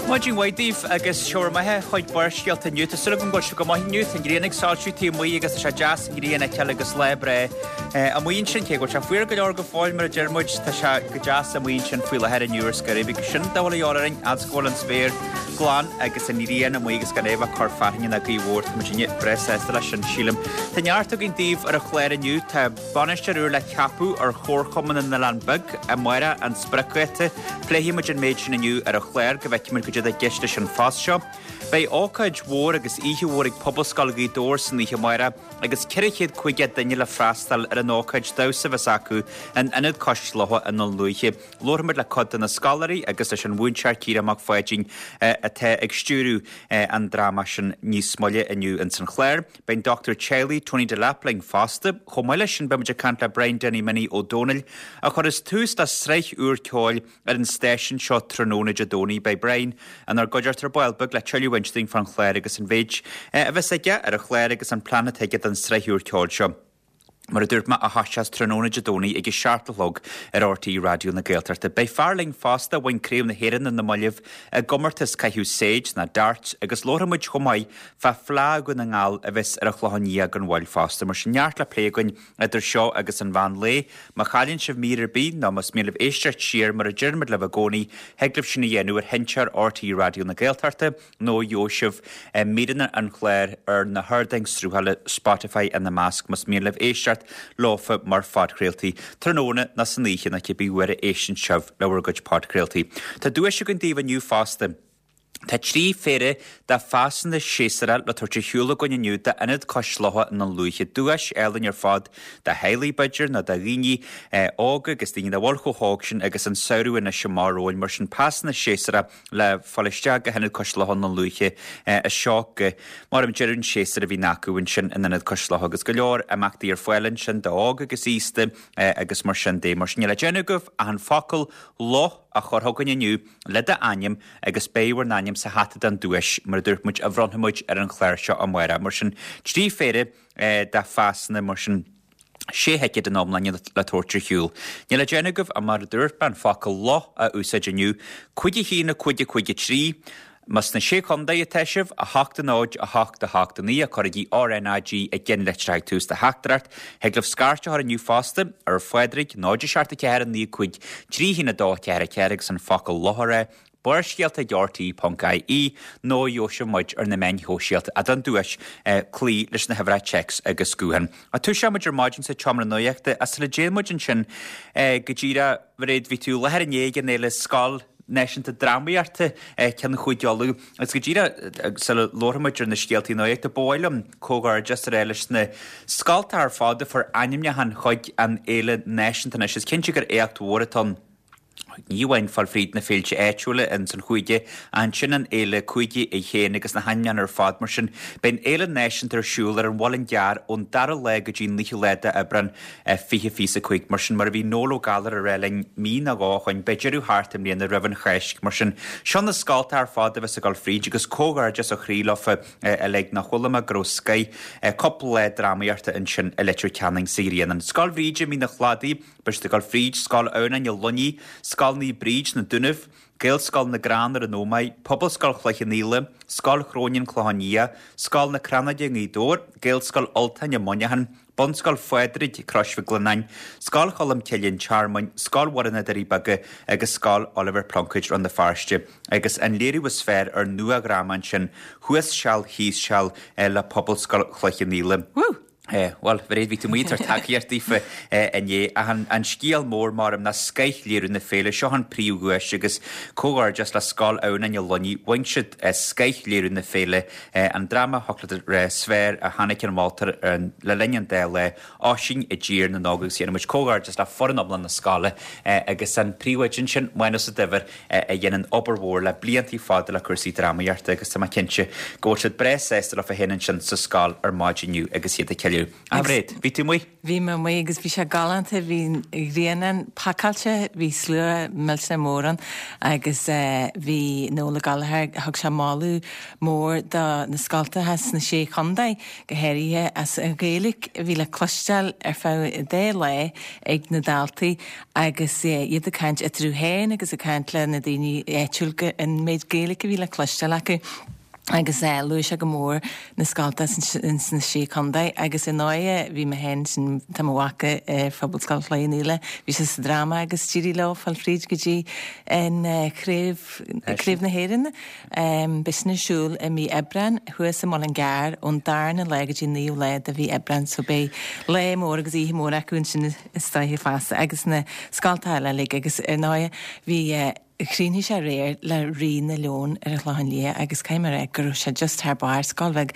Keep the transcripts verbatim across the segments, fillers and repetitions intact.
Maidin mhaith daoibh agus seo maithe chuig Barrscéalta inniu. Tá súil agam go bhfuil sibh go maith inniu, tá an ghrian ag soilsiú taobh amuigh agus tá sé deas an ghrian a fheiceáil agus lá breá amuigh ansin cé go bhfuil sé fuar go leor go fóill mar a deir muid tá sé go deas amuigh ansin faoi láthair inniu ar scor agus sin dá bhfuil a dhíobháil orainn fhad is go bhfuil an spéir glan agus an ghrian amuigh agus gan é bheith cur fearthainne ná gaoth mhór tá muid breá sásta leis sin sílim. Tá neart againn daoibh ar an chlár inniu tá bainisteoir úr le ceapadh ar Chomharchumann na nOileán Beag amárach an spriocdháta. Pléifidh muid an méid sin inniu ar an chlár go bhfeicfidh muid goidé atá i gceist leis an phost seo. Beidh ócáid mhór agus oíche mhór ag Pobalscoil Ghaoth Dobhair san oíche amárach agus ceithre chéad caoga duine le freastal ar an ócáid damhsa a bheas acu in Ionad Cois Locha i nDún Lúiche. Labharfaimid le cuid de na scoláirí agus leis an mhúinteoir Ciarán Mac Pháidín atá ag stiúradh an dráma sin níos moille inniu ins an chlár. Beidh an dochtúir teaghlaigh Tony Delap linn fosta. Chomh maith leis sin beimid ag caint le Brian Danny Minnie Ó Dónaill a chuireas tús le sraith úr ceoil ar an stáisiún seo tráthnóna Dé Domhnaigh. Beidh Brian inár gcuideachta ar ball beag le tuilleadh a insint dúinn fán chlár agus an mhéid a bheas aige ar an chlár agus an plean atá aige don sraith úr ceoil seo. Mar a dúirt mé a thoiseos tráthnóna Dé Domhnaigh ag a seacht a chlog ar RTÉ Raidió na Gaeltachta. Beidh fear linn fosta a bhain Craobh na hÉireann ar na mallaibh i gcomórtas caitheamh séid ná darts agus labharfaidh muid chomh maith fá Fleadh Dhún na nGall a bheas ar an Chlochán Liath gan mhoill fosta. Mar sin neart le plé againn idir seo agus an mheán lae. Má chailleann sibh mír ar bith nó más mian libh éisteacht siar mar a deirimid libh i gcónaí, thig libh sin a dhéanamh ar sheinnteoir RTÉ Raidió na Gaeltachta nó gheobhaidh sibh míreanna an chláir ar na hardáin sruthála Spotify ina measc más mian libh éisteacht leofa mar phodchraoltaí tráthnóna nó san oíche nó cibé uair a éisteann sibh le bhur gcuid podchraoltaí. Tá duais againn daoibh inniu fosta. Tá trí phéire de phasanna séasúrach le tabhairt ar shiúl againn inniu d'Ionad Cois Locha i nDún Lúiche. Duais álainn ar fad do theaghlaigh b'fhéidir nó do dhaoine óga agus daoine nach bhfuil chomh hóg sin agus an samhradh anois amach romhainn. Mar sin pasanna séasúrach le fáil isteach go hIonad Cois Locha i nDún Lúiche as seo go mar an deireadh an séasúr a bhíonn acu ansin in Ionad Cois Locha agus go leor imeachtaí ar fáil ansin d'óg agus aosta agus mar sin de. Mar sin níl le déanamh agaibh ach an focal 'loch' a chur chugainn inniu le d'ainm agus beidh bhur n-ainm sa hata don duais mar a dúirt muid a bhronnfaidh muid ar an chlár seo amárach. Mar sin trí phéire de phasanna mar sin sé thicéad in iomláine le tabhairt ar shiúl. Níl le déanamh agaibh ach mar a dúirt mé an focal 'loch' a úsáid inniu, cúig a haon a cúig a cúig a trí, Más sna Sé Chontae atá sibh, a hocht a náid, a hocht a hocht a naoi, cuirigí RNAG i gceannlitreacha ag tús do theachtaireacht. Thig libh scairt a chur inniu fosta ar Phádraig, náid a seacht a ceathair a naoi cúig trí haon a dó ceathair a ceathair agus an focal 'loch' a rá, Barrscéalta ag RTÉ ponc IE nó gheobhaidh sibh muid ar na meáin shóisialta ach don duais cloí leis na huimhreacha téacs agus gutháin. Toiseoidh muid ar maidin sa tseomra nuachta ach sula dtéann muid ansin go díreach, Mhairéad, bhí tú i láthair inné ag an fhéile Scoil Náisiúnta Drámaíochta ceann Chúige Uladh agus go díreach sula labharfaidh muid ar na scéaltaí nuachta, ba mhaith liom comhghairdeas a rá leis na scoltacha ar fad a fuair ainmniúchán chuig an fhéile náisiúnta anois. Is cinnte gur éacht mhór atá ann. Ní amháin fáil fríd na féilte áitiúla ins an chúige, ach ansin an fhéile cúige í féin agus na hainmniúcháin ar fad. Mar sin, beidh an fhéile náisiúnta ar siúl ar an Mhuileann gCearr ón dara lá go dtí an naoú lá d'Aibreán fiche fiche a cúig. Mar sin, mar a bhí Noel Ó Gallchóir a rá linn mí nó dhó ó shoin, beidh deireadh thart i mbliana roimh an Cháisc. Mar sin, seo na scoltacha ar fad a bheas ag dul fríd agus comhghairdeas ó chroí leofa uilig nach bhfuil mé go raibh scoith cúpla lá drámaíochta ansin i Leitir Ceanainn sa Ghrianán. Scoil Bhríde Mín an Chladaigh, beidh siad ag dul fríd, Scoil Adhamhnáin i Luinnigh, Scoil Naomh Bríd sna Dúnaibh, Gaelscoil na gCrann ar an Ómaigh, Pobalscoil Chloich Cheann Fhaola, Scoil Chrónáin Clochán Liath, Scoil na Crannóige i nGaoth Dobhair, Gaelscoil Ultáin i Muineachán, Bunscoil Phádraig, Crois Mhic Lionnáin, Scoil Cholm Cille an Tearmainn, Scoil Mhuire na Doirí Beaga agus Scoil Oilibhéir Pluincéid Rann na Feirste agus an léiriú is fearr ar nua-dhráma ansin, Thuas Seal Thíos Seal le Pobalscoil Chloich Cheann Fhaola. Woo! Bhuel, a Mhairéad, bhí tú amuigh ag tabhairt tacaíocht daofa inné ach an scéal mór, maram, ná scoithléiriú na féile. Seo an príomhdhuais agus comhghairdeas le Scoil Adhamhnáin i Luinnigh. Bhain siad scoithléiriú na féile, an dráma thiocfadh leat a rá is fearr a chonaic an moltóir le linn an dá lá, Oisín i dTír na nÓg agus déanann muid comhghairdeas le foireann iomlán na scoile agus an príomhoide ansin, Mánas Ó Duibhir, a dhéanann obair mhór le blianta fada le cúrsaí drámaíochta agus tá mé cinnte go bhfuil siad breá sásta leofa féin ansin sa scoil ar maidin inniu agus iad ag ceiliúradh. Gaillimh. A Mhairéad, bhí tú amuigh? Bhí mé amuigh agus bhí sé galánta, bhí an ghrian ann pacáilte, bhí slua millteanach mór ann agus bhí Noel Ó Gallchóir, thug sé moladh mór do na scoltacha sna Sé Chontae, go háirithe as an Ghaeilge a bhí le cloisteáil ar feadh an dá lá ag na daltaí agus iad ag caint eatarthu féin agus ag caint le na daoine áitiúil an méid Gaeilge a bhí le cloisteáil acu. Agus luaigh sé go mór na scolta ins na Sé Chontae agus ar ndóighe bhí mé féin sin tá mo mhac ar Phobalscoil Chloich Cheann Fhaola, bhí sé sa dráma agus d'éirigh leo fáil fríd go dtí an craobh, Craobh na hÉireann. Beidh sin ar siúl i mí Aibreáin thuas i Mullingar ón darna lá go dtí an naoú lá de mhí Aibreáin so beidh lá mór agus oíche mhór acu ansin is dóiche feasta agus na scolta eile uilig agus ar ndóighe bhí Chríochnaigh sé aréir le Rí na Leon ar an Chlochán Liath agus caithfidh mé a rá go raibh sé just thar barr, scoil bheag,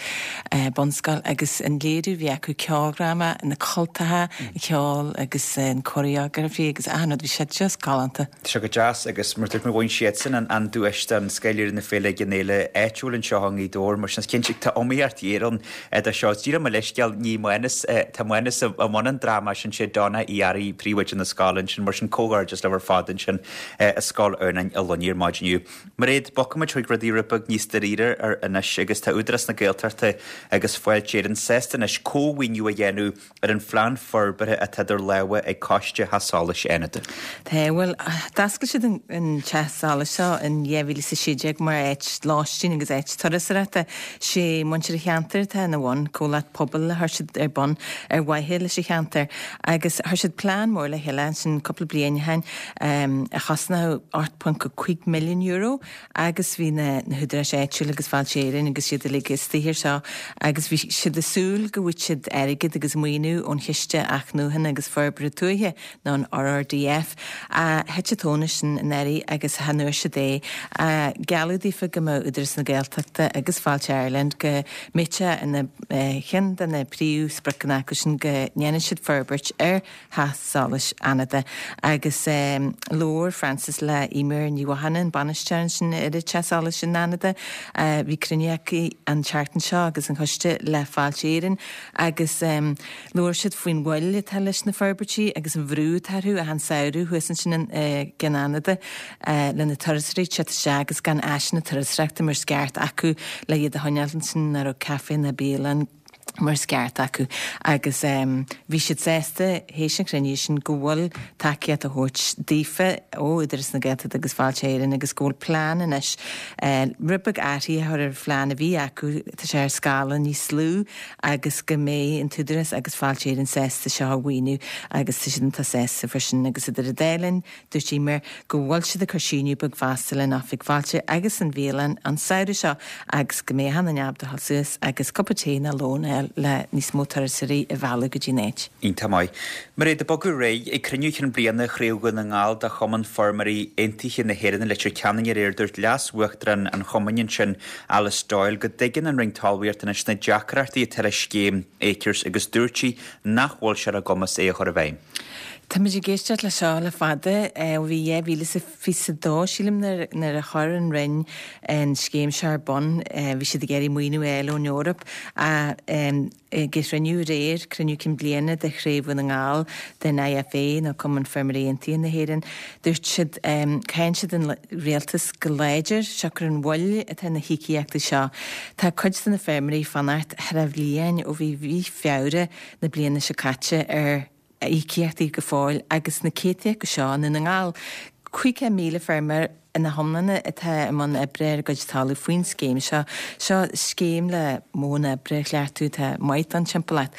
bunscoil agus an léiriú a bhí acu, ceoldráma, na cultacha, an ceol agus an choreography agus achan rud, bhí sé just galánta. Tá sé go deas agus mar dúirt mé bhain siadsan an duais don scoil na féile ag an fhéile áitiúil anseo i nGaoth Dobhair mar sin is cinnte tá iomaíocht ghéar ann do seo. Is díreach mo leithscéal ní Mánas, tá Mánas i mbun an dráma sin sé Donna Uí Fhearraigh príomhoide na scoile ansin mar sin comhghairdeas libh ar fad ansin i Scoil Adhamhnáin i Luinnigh ar maidin inniu. Mairéad, bogfaimid chuig rudaí rud beag níos dáiríre ar anois agus tá Údarás na Gaeltachta agus Fáilte Éireann sásta anois cómhaoiniú a dhéanamh ar an phlean forbartha atá idir lámha ag Coiste Theach Solais Fhánada. Tá, bhuel, d'oscail siad an teach solais seo in dhá mhíle is a sé déag mar áit lóistín agus áit turasóireachta. Sé muintir an cheantair atá ina bhun, comhlacht pobail a chuir siad ar bun ar mhaithe leis an cheantar agus chuir siad plean mór le chéile ansin cúpla bliain ó shin a chosnódh ocht ponc cúig milliún euro agus bhí na húdaráis áitiúil agus Fáilte Éireann agus iad uilig istigh air seo agus bhí siad ag súil go bhfaigheadh siad airgead agus maoiniú ón Chiste Athnuachana agus Forbartha Tuaithe nó an RRDF. Thit an tóin as sin anuraidh agus chan fhuair siad é. Gealladh daofa go mbeadh Údarás na Gaeltachta agus Fáilte Ireland go mbeadh sé ina cheann de na príomhspriocanna acu sin go ndéanfaidh siad forbairt ar Theach Solais Fhánada agus labhair Frances le Eimear Ní Mhathúna, an bainisteoir ansin ar an Teach Solais in Fhánada. Bhí cruinniú aici an tseachtain seo agus an choiste le Fáilte Éireann agus labhair siad faoin mhoill atá leis na forbairtí agus an bhrú atá orthu achan samhradh thuas ansin i gCeann Fhánada le na turasóirí teacht isteach agus gan áiseanna turasóireachta mar is ceart acu le iad a choinneáil ansin nach raibh caife ná bialann mar is ceart acu agus bhí siad sásta théis an chruinnithe sin go bhfuil tacaíocht á thabhairt daofa ó Údarás na Gaeltachta agus Fáilte Éireann agus go bhfuil plean anois rud beag athraithe a chur ar an phlean a bhí acu, tá sé ar scála níos lú agus go mbeidh an tÚdarás agus Fáilte Éireann sásta seo a mhaoiniú agus tá siad iontach sásta faoi sin agus idir an dá linn dúirt Eimear go bhfuil siad ag cur síneadh beag feasta le an Oifig Fáilte agus an bhialann an samhradh seo agus go mbeidh achan duine ábalta a dhul suas agus cupa tae nó lón a fháil le níos mó turasóirí a mhealladh go dtí an áit. Iontach maith. Mairéad, ag bogadh ar aghaidh, ag cruinniú chinn bliana Chraobh Dhún na nGall de Chumann Feirmeoirí Aontaithe na hÉireann i Leitir Ceanainn aréir, dúirt Leas-Uachtarán an chumainn ansin, Alice Doyle, go dtuigeann an Roinn Talmhaíochta anois na deacrachtaí atá le scéim Acres agus dúirt sí nach bhfuil sé ar a gcumas é a chur i bhfeidhm. Táimid ag éisteacht leis seo le fada, ó bhí dhá mhíle is a fiche a dó, sílim, nuair a chuir an Roinn an scéim seo ar bun. Bhí siad ag iarraidh maoiniú a fháil ón Eoraip. Ag an chruinniú aréir, cruinniú cinn bliana de Chraobh Dhún na nGall den IFA, nó Cumann Feirmeoirí Aontaithe na hÉireann, dúirt siad, cáin siad an rialtas go láidir, siocair an mhoill atá ar na híocaíochtaí seo. Tá cuid de na feirmeoirí ag fanacht thar a bhliain ó bhí mhí Feabhra na bliana seo caite ar íocaíochtaí go fóill agus na céadta acu seo i nDún na nGall. Caoga míle feirmeoir ina hiomláine atá i mbun oibre ar a gcuid talamh faoin scéim seo. Seo scéim le modhanna oibre a chleachtadh atá maith don timpeallacht.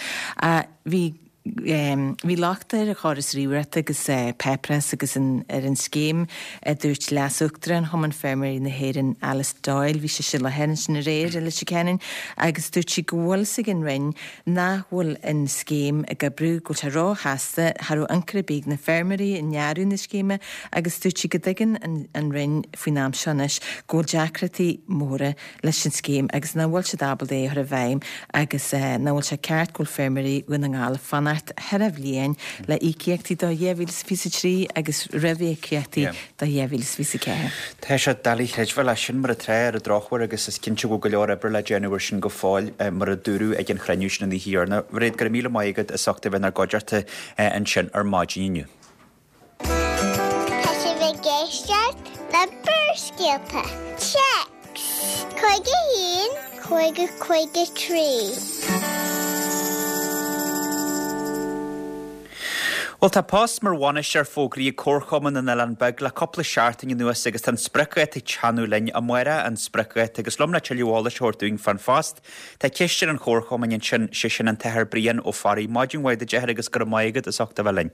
Bhí bhí locht ar an chóras ríomhaireachta agus páipéarachas agus ar an scéim, a dúirt Leas-Uachtarán Chumann Feirmeoirí na hÉireann Alice Doyle. Bhí sise i láthair ansin aréir i Leitir Ceanainn agus dúirt sí go bhfuil fhios ag an Roinn nach bhfuil an scéim ag oibriú, go bhfuil sé róchasta, cha raibh ionchur ar bith ag na feirmeoirí i ndearadh na scéime agus dúirt sí go dtuigeann an Roinn faoin am seo anois go bhfuil deacrachtaí móra leis an scéim agus nach bhfuil siad ábalta é a chur i bhfeidhm agus nach bhfuil sé ceart go bhfuil feirmeoirí Dhún na nGall ag fanacht fanacht ceithre bhliain le íocaíochtaí do dhá mhíle is fiche a trí agus réamhíocaíochtaí do dhá mhíle is fiche a ceathair. Tá sé doiligh a chreidbheáil é sin mar atá ar an drochuair agus is cinnte go bhfuil go leor oibre le déanamh air sin go fóill mar a dúradh ag an chruinniú sin an oíche dheireanach. Mairéad, go raibh míle maith agat as ucht a bheith inár gcuideachta ansin ar maidin inniu. Tá sibh ag éisteacht le Barrscéalta. Téacs cúig a haon, cúig a cúig a trí. Bhuel, tá post mar bhainisteoir fógraithe ag Comharchumann na nOileán Beag le cúpla seachtain anuas agus tá an spriocdháta ag teannadh linn. Amárach an spriocdháta agus liom le tuilleadh eolais a thabhairt dúinn fán phost, tá cisteoir an Chomharchumainn ansin, sé sin an tAthair Brian Ó Fearraigh. Maidin mhaith duit, a Athair, agus go raibh maith agat as ucht a bheith linn.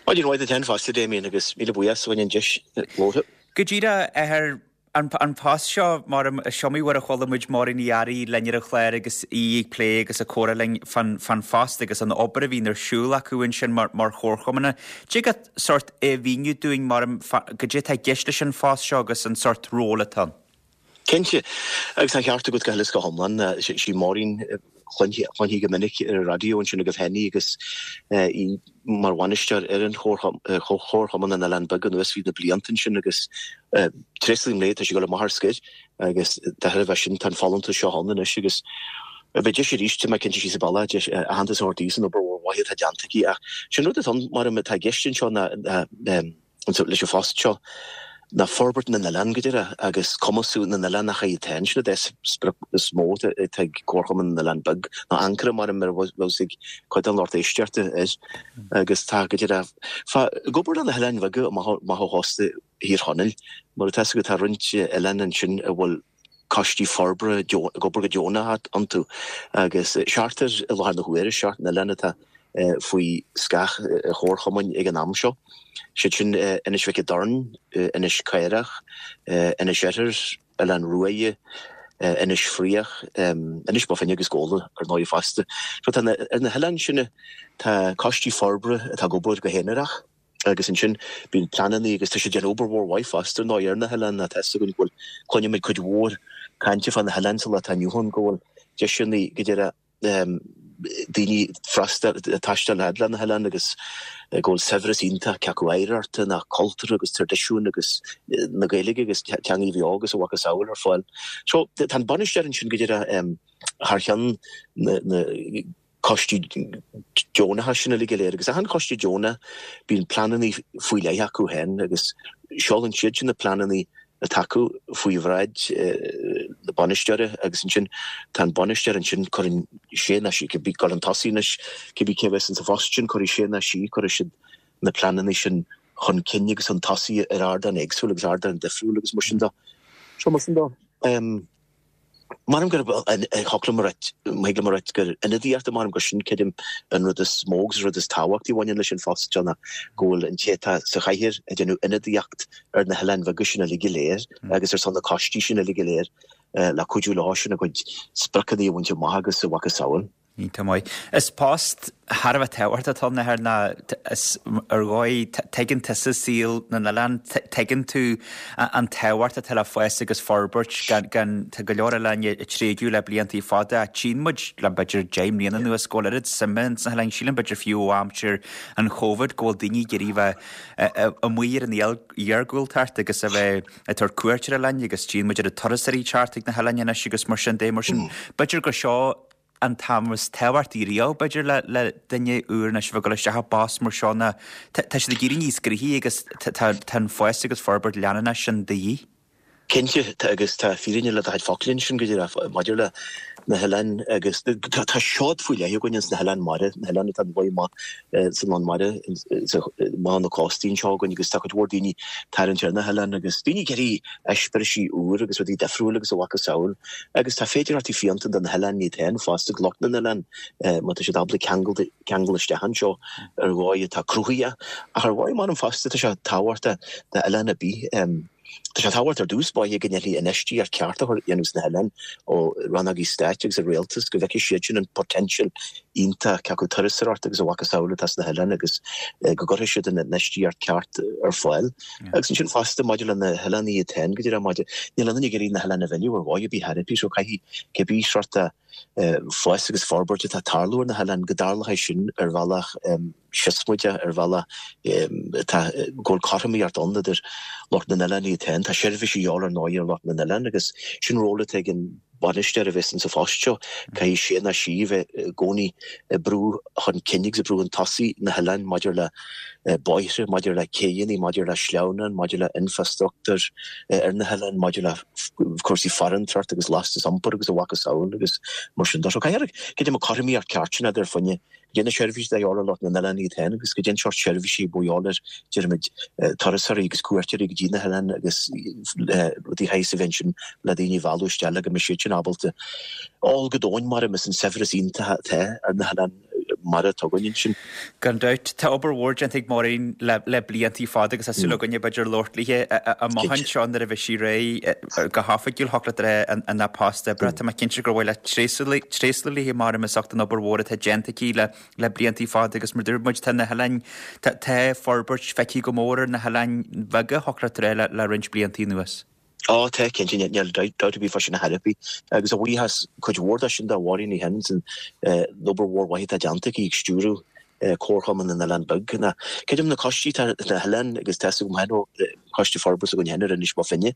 Maidin mhaith duit féin fosta, Damien, agus míle buíochas as an deis labhartha. Go díreach, a Athair, an, an post seo, mar is iomaí uair a chuala muid Máirín Ní Fhearraigh linn ar an chlár agus í ag plé agus ag comhrá linn fán, fán phost agus an obair a bhíonn ar siúl acu ansin mar, mar chomharchumann. Dtig leat sórt é a mhíniú dúinn mar goidé atá i gceist leis an phost seo agus an sórt ról atá ann? Cinnte, agus tá an ceart agat go huile is go hiomlán. Sí Máirín chluinfí go minic ar an raidió ansin agaibh féin í agus í mar bhainisteoir ar an Chomharchumann na nOileán Beag anuas fríd na blianta ansin agus tréaslaím léi, tá sí ag dul amach ar scor agus de thairbhe sin tá an folúntas seo ann anois agus beidh deis arís, tá mé cinnte, sí sa bhaile, deis aitheantas a thabhairt di san obair mhór mhaith atá déanta aici ach sin rud atá ann mar atá i gceist anseo ná leis an phost seo ná forbairt na n-oileán go díreach agus cumasú na n-oileánach iad féin. Sin an dá sprioc is mó atá ag Comharchumann na nOileán Beag, nó Ancaire mar a bheas ag cuid den lucht éisteachta air. Agus tá go díreach fá ag obair le na hoileáin bheaga amach ó chósta Thír Chonaill, mar atá a fhios agat tá roinnt oileán ansin a bhfuil coistí forbartha ag obair go deonach iontu agus seachtar i láthair na huaire, seacht n-oileán atá faoi scáth an Chomharchumainn ag an am seo, siad sin Inis Mhic an Doirn, Inis Caorach, Inis Oirthir, Oileán Ruaidhe, Inis Fraoch, Inis Bó Finne agus Gabhla ar ndóigh fosta. So tá ar na hoileáin sin tá coistí forbartha atá ag obair go haonarach agus ansin bíonn pleananna agus tá siad ag déanamh obair mhór mhaith fosta ar ndóigh ar na hoileáin. Tá a fhios againn go bhfuil, cluinimid cuid mhór cainte fá na hoileáin sa lá atá inniu ann go bhfuil deiseanna go deireadh daoine freastal, taisteal fhad le na hoileáin agus go bhfuil saibhreas iontach cé acu oidhreachta ná cultúrtha agus traidisiúin agus na Gaeilge agus teangaí bheo agus a mhacasamhail ar fáil. So tá an bainisteoir ansin go díreach thar cheann na na coistí deonacha sin uilig go léir agus achan choiste deonach bíonn pleananna faoi leith acu féin agus seolann siad sin na pleananna atá acu faoi bhráid na bainisteora agus ansin tá an bainisteoir ansin, cuireann sé nó sí, cibé chun tosaigh anois, cibé cé a bheas insa phost sin, cuirfidh sé nó sí, cuirfidh siad na pleananna sin chun cinn agus chun tosaigh ar ardáin éagsúla agus ardáin difriúla agus mar sin de. So mar sin de, Measaim gurb thiocfadh liom a ráit, má thig liom a ráit gur ionadaíocht, measaim gur sin creidim an rud is mó agus an rud is tábhachtaí a bhaineann leis an phost seo ná go bhfuil an té atá sa chathaoir ag déanamh ionadaíocht ar na hoileáin bheaga sin uilig go léir agus ar son na coistí sin uilig go léir le cuidiú leo sin a gcuid spriocanna a bhaint amach agus a mhacasamhail. Iontach maith. Is post thar a bheith tábhachtach atá ann, a Athair, ná is ar dhóigh, tuigeann tusa saol na n-oileán, tuigeann tú an tábhacht atá le fás agus forbairt gan, gan, tá go leor oileáin ag tréigeadh le bliantaí fada ach tchíonn muid le b'fhéidir deich mbliana anuas go bhfuil oiread suime ins na hoileáin, sílim b'fhéidir fiú ó aimsir an Chóvid go bhfuil daoine ag iarraidh bheith amuigh ar an iargúltacht agus a bheith ag tabhairt cuairt ar oileáin agus tchíonn muid oiread turasóirí ag teacht ag na hoileáin anois agus mar sin de, mar sin b'fhéidir gur seo an t-am is tábhachtaí riamh, b'fhéidir, le le duine úr anois a bheith ag dul isteach i bpost mar seo ná tá siad ag éirí níos gnoithí agus tá tá an fás agus forbairt leanúnach sin de dhíth. Cinnte, tá agus tá fírinne le do chuid focal ansin go díreach maidir le na hoileáin agus tá tá seod faoi leith againn ins na hoileáin mara, na hoileáin atá amuigh amach san lán mara, amach na cóstaí anseo againn agus tá cuid mhór daoine tarraingt ar na hoileáin agus daoine ag iarraidh eispéirisí úr agus rudaí difriúil agus a mhacasamhail agus tá féidearthachtaí fiúntacha do na hoileáin iad féin fosta, do lucht na n-oileán má tá siad ábalta ceangal ceangal isteach anseo ar dhóigh atá cruthaithe ach ar dhóigh measaim fosta tá sé tábhachtach d'oileán ar bith. Tá sé tábhachtach ar dtús báire go ndéanfaí infheistíocht ceart a dhéanamh sna hoileáin ó rannógaí stáit agus an rialtas, go bhfeicfidh siad sin an potential iontach cé acu turasóireacht agus a mhacasamhail atá sna hoileáin agus go gcuirfidh siad an infheistíocht ceart ar fáil. Agus ansin fosta maidir le na hoileáin iad féin, go díreach maidir, níl aon duine ag iarraidh na hoileáin a mhilleadh ar dhóigh ar bith thar ar bith so caithfidh cibé sórt de fás agus forbairt atá ag tarlú ar na hoileáin, go dtarlóidh sin ar bhealach siosmaideach, ar bhealach atá go bhfuil cothromaíocht ann idir lucht na n-oileán iad féin. Tá seirbhísí a dhíobháil ar ndóigh ar lucht na n-oileán agus sin ról atá ag an bainisteoir a bheas insa phost seo, caithfidh sé nó sí a bheith i gcónaí ag brú chun cinn agus ag brú chun tosaigh na hoileáin maidir le bóithre, maidir le céidheanna, maidir le sleamhnáin, maidir le infreastruchtúr ar na hoileáin, maidir le cúrsaí farantóireacht agus lastas iompair agus a mhacasamhail agus mar sin de. So caithfear go dté an cothromaíocht ceart sin idir fá choinne goidé na seirbhísí atá a dhíobháil ar lucht na n-oileán iad féin agus goidé an seort seirbhísí a bheidh a dhíobháil ar, déarfaimid, turasóirí agus cuairteoirí go dtí na hoileáin agus rudaí de shaghas a bheith ansin le daoine a mhealladh isteach le go mbeidh siad sin ábalta ól go domhain maram as an saibhreas iontach atá ar na hoileáin mara atá againn ansin. Gan dabht, tá obair mhór déanta ag Máirín le le bliantaí fada agus tá súil againne b'fhéidir labhairt léi amach anseo nuair a bheidh sí réidh go hoifigiúil thiocfadh leat a rá ina post oibre. Tá mé cinnte gur mhaith leat tréaslú léi maram as ucht an obair mhór atá déanta aici le le bliantaí fada agus mar dúirt muid tá na hoileáin tá tá forbairt feicthe go mór ar na hoileáin bheaga thiocfadh leat a rá le le roinnt bliantaí anuas. Ó tá, cinnte, níl dabht ar bith fá sin ar chor ar bith. Agus a bhuíochas cuid mhór de sin do Mháirín í féin san obair mhór mhaith atá déanta aici ag stiúradh Comharchumann na nOileán Beag. Ná creidim na coistí atá sna hoileáin agus tá a fhios agam féin ó Choiste Forbartha s'againn féin ar Inis Bó Finne,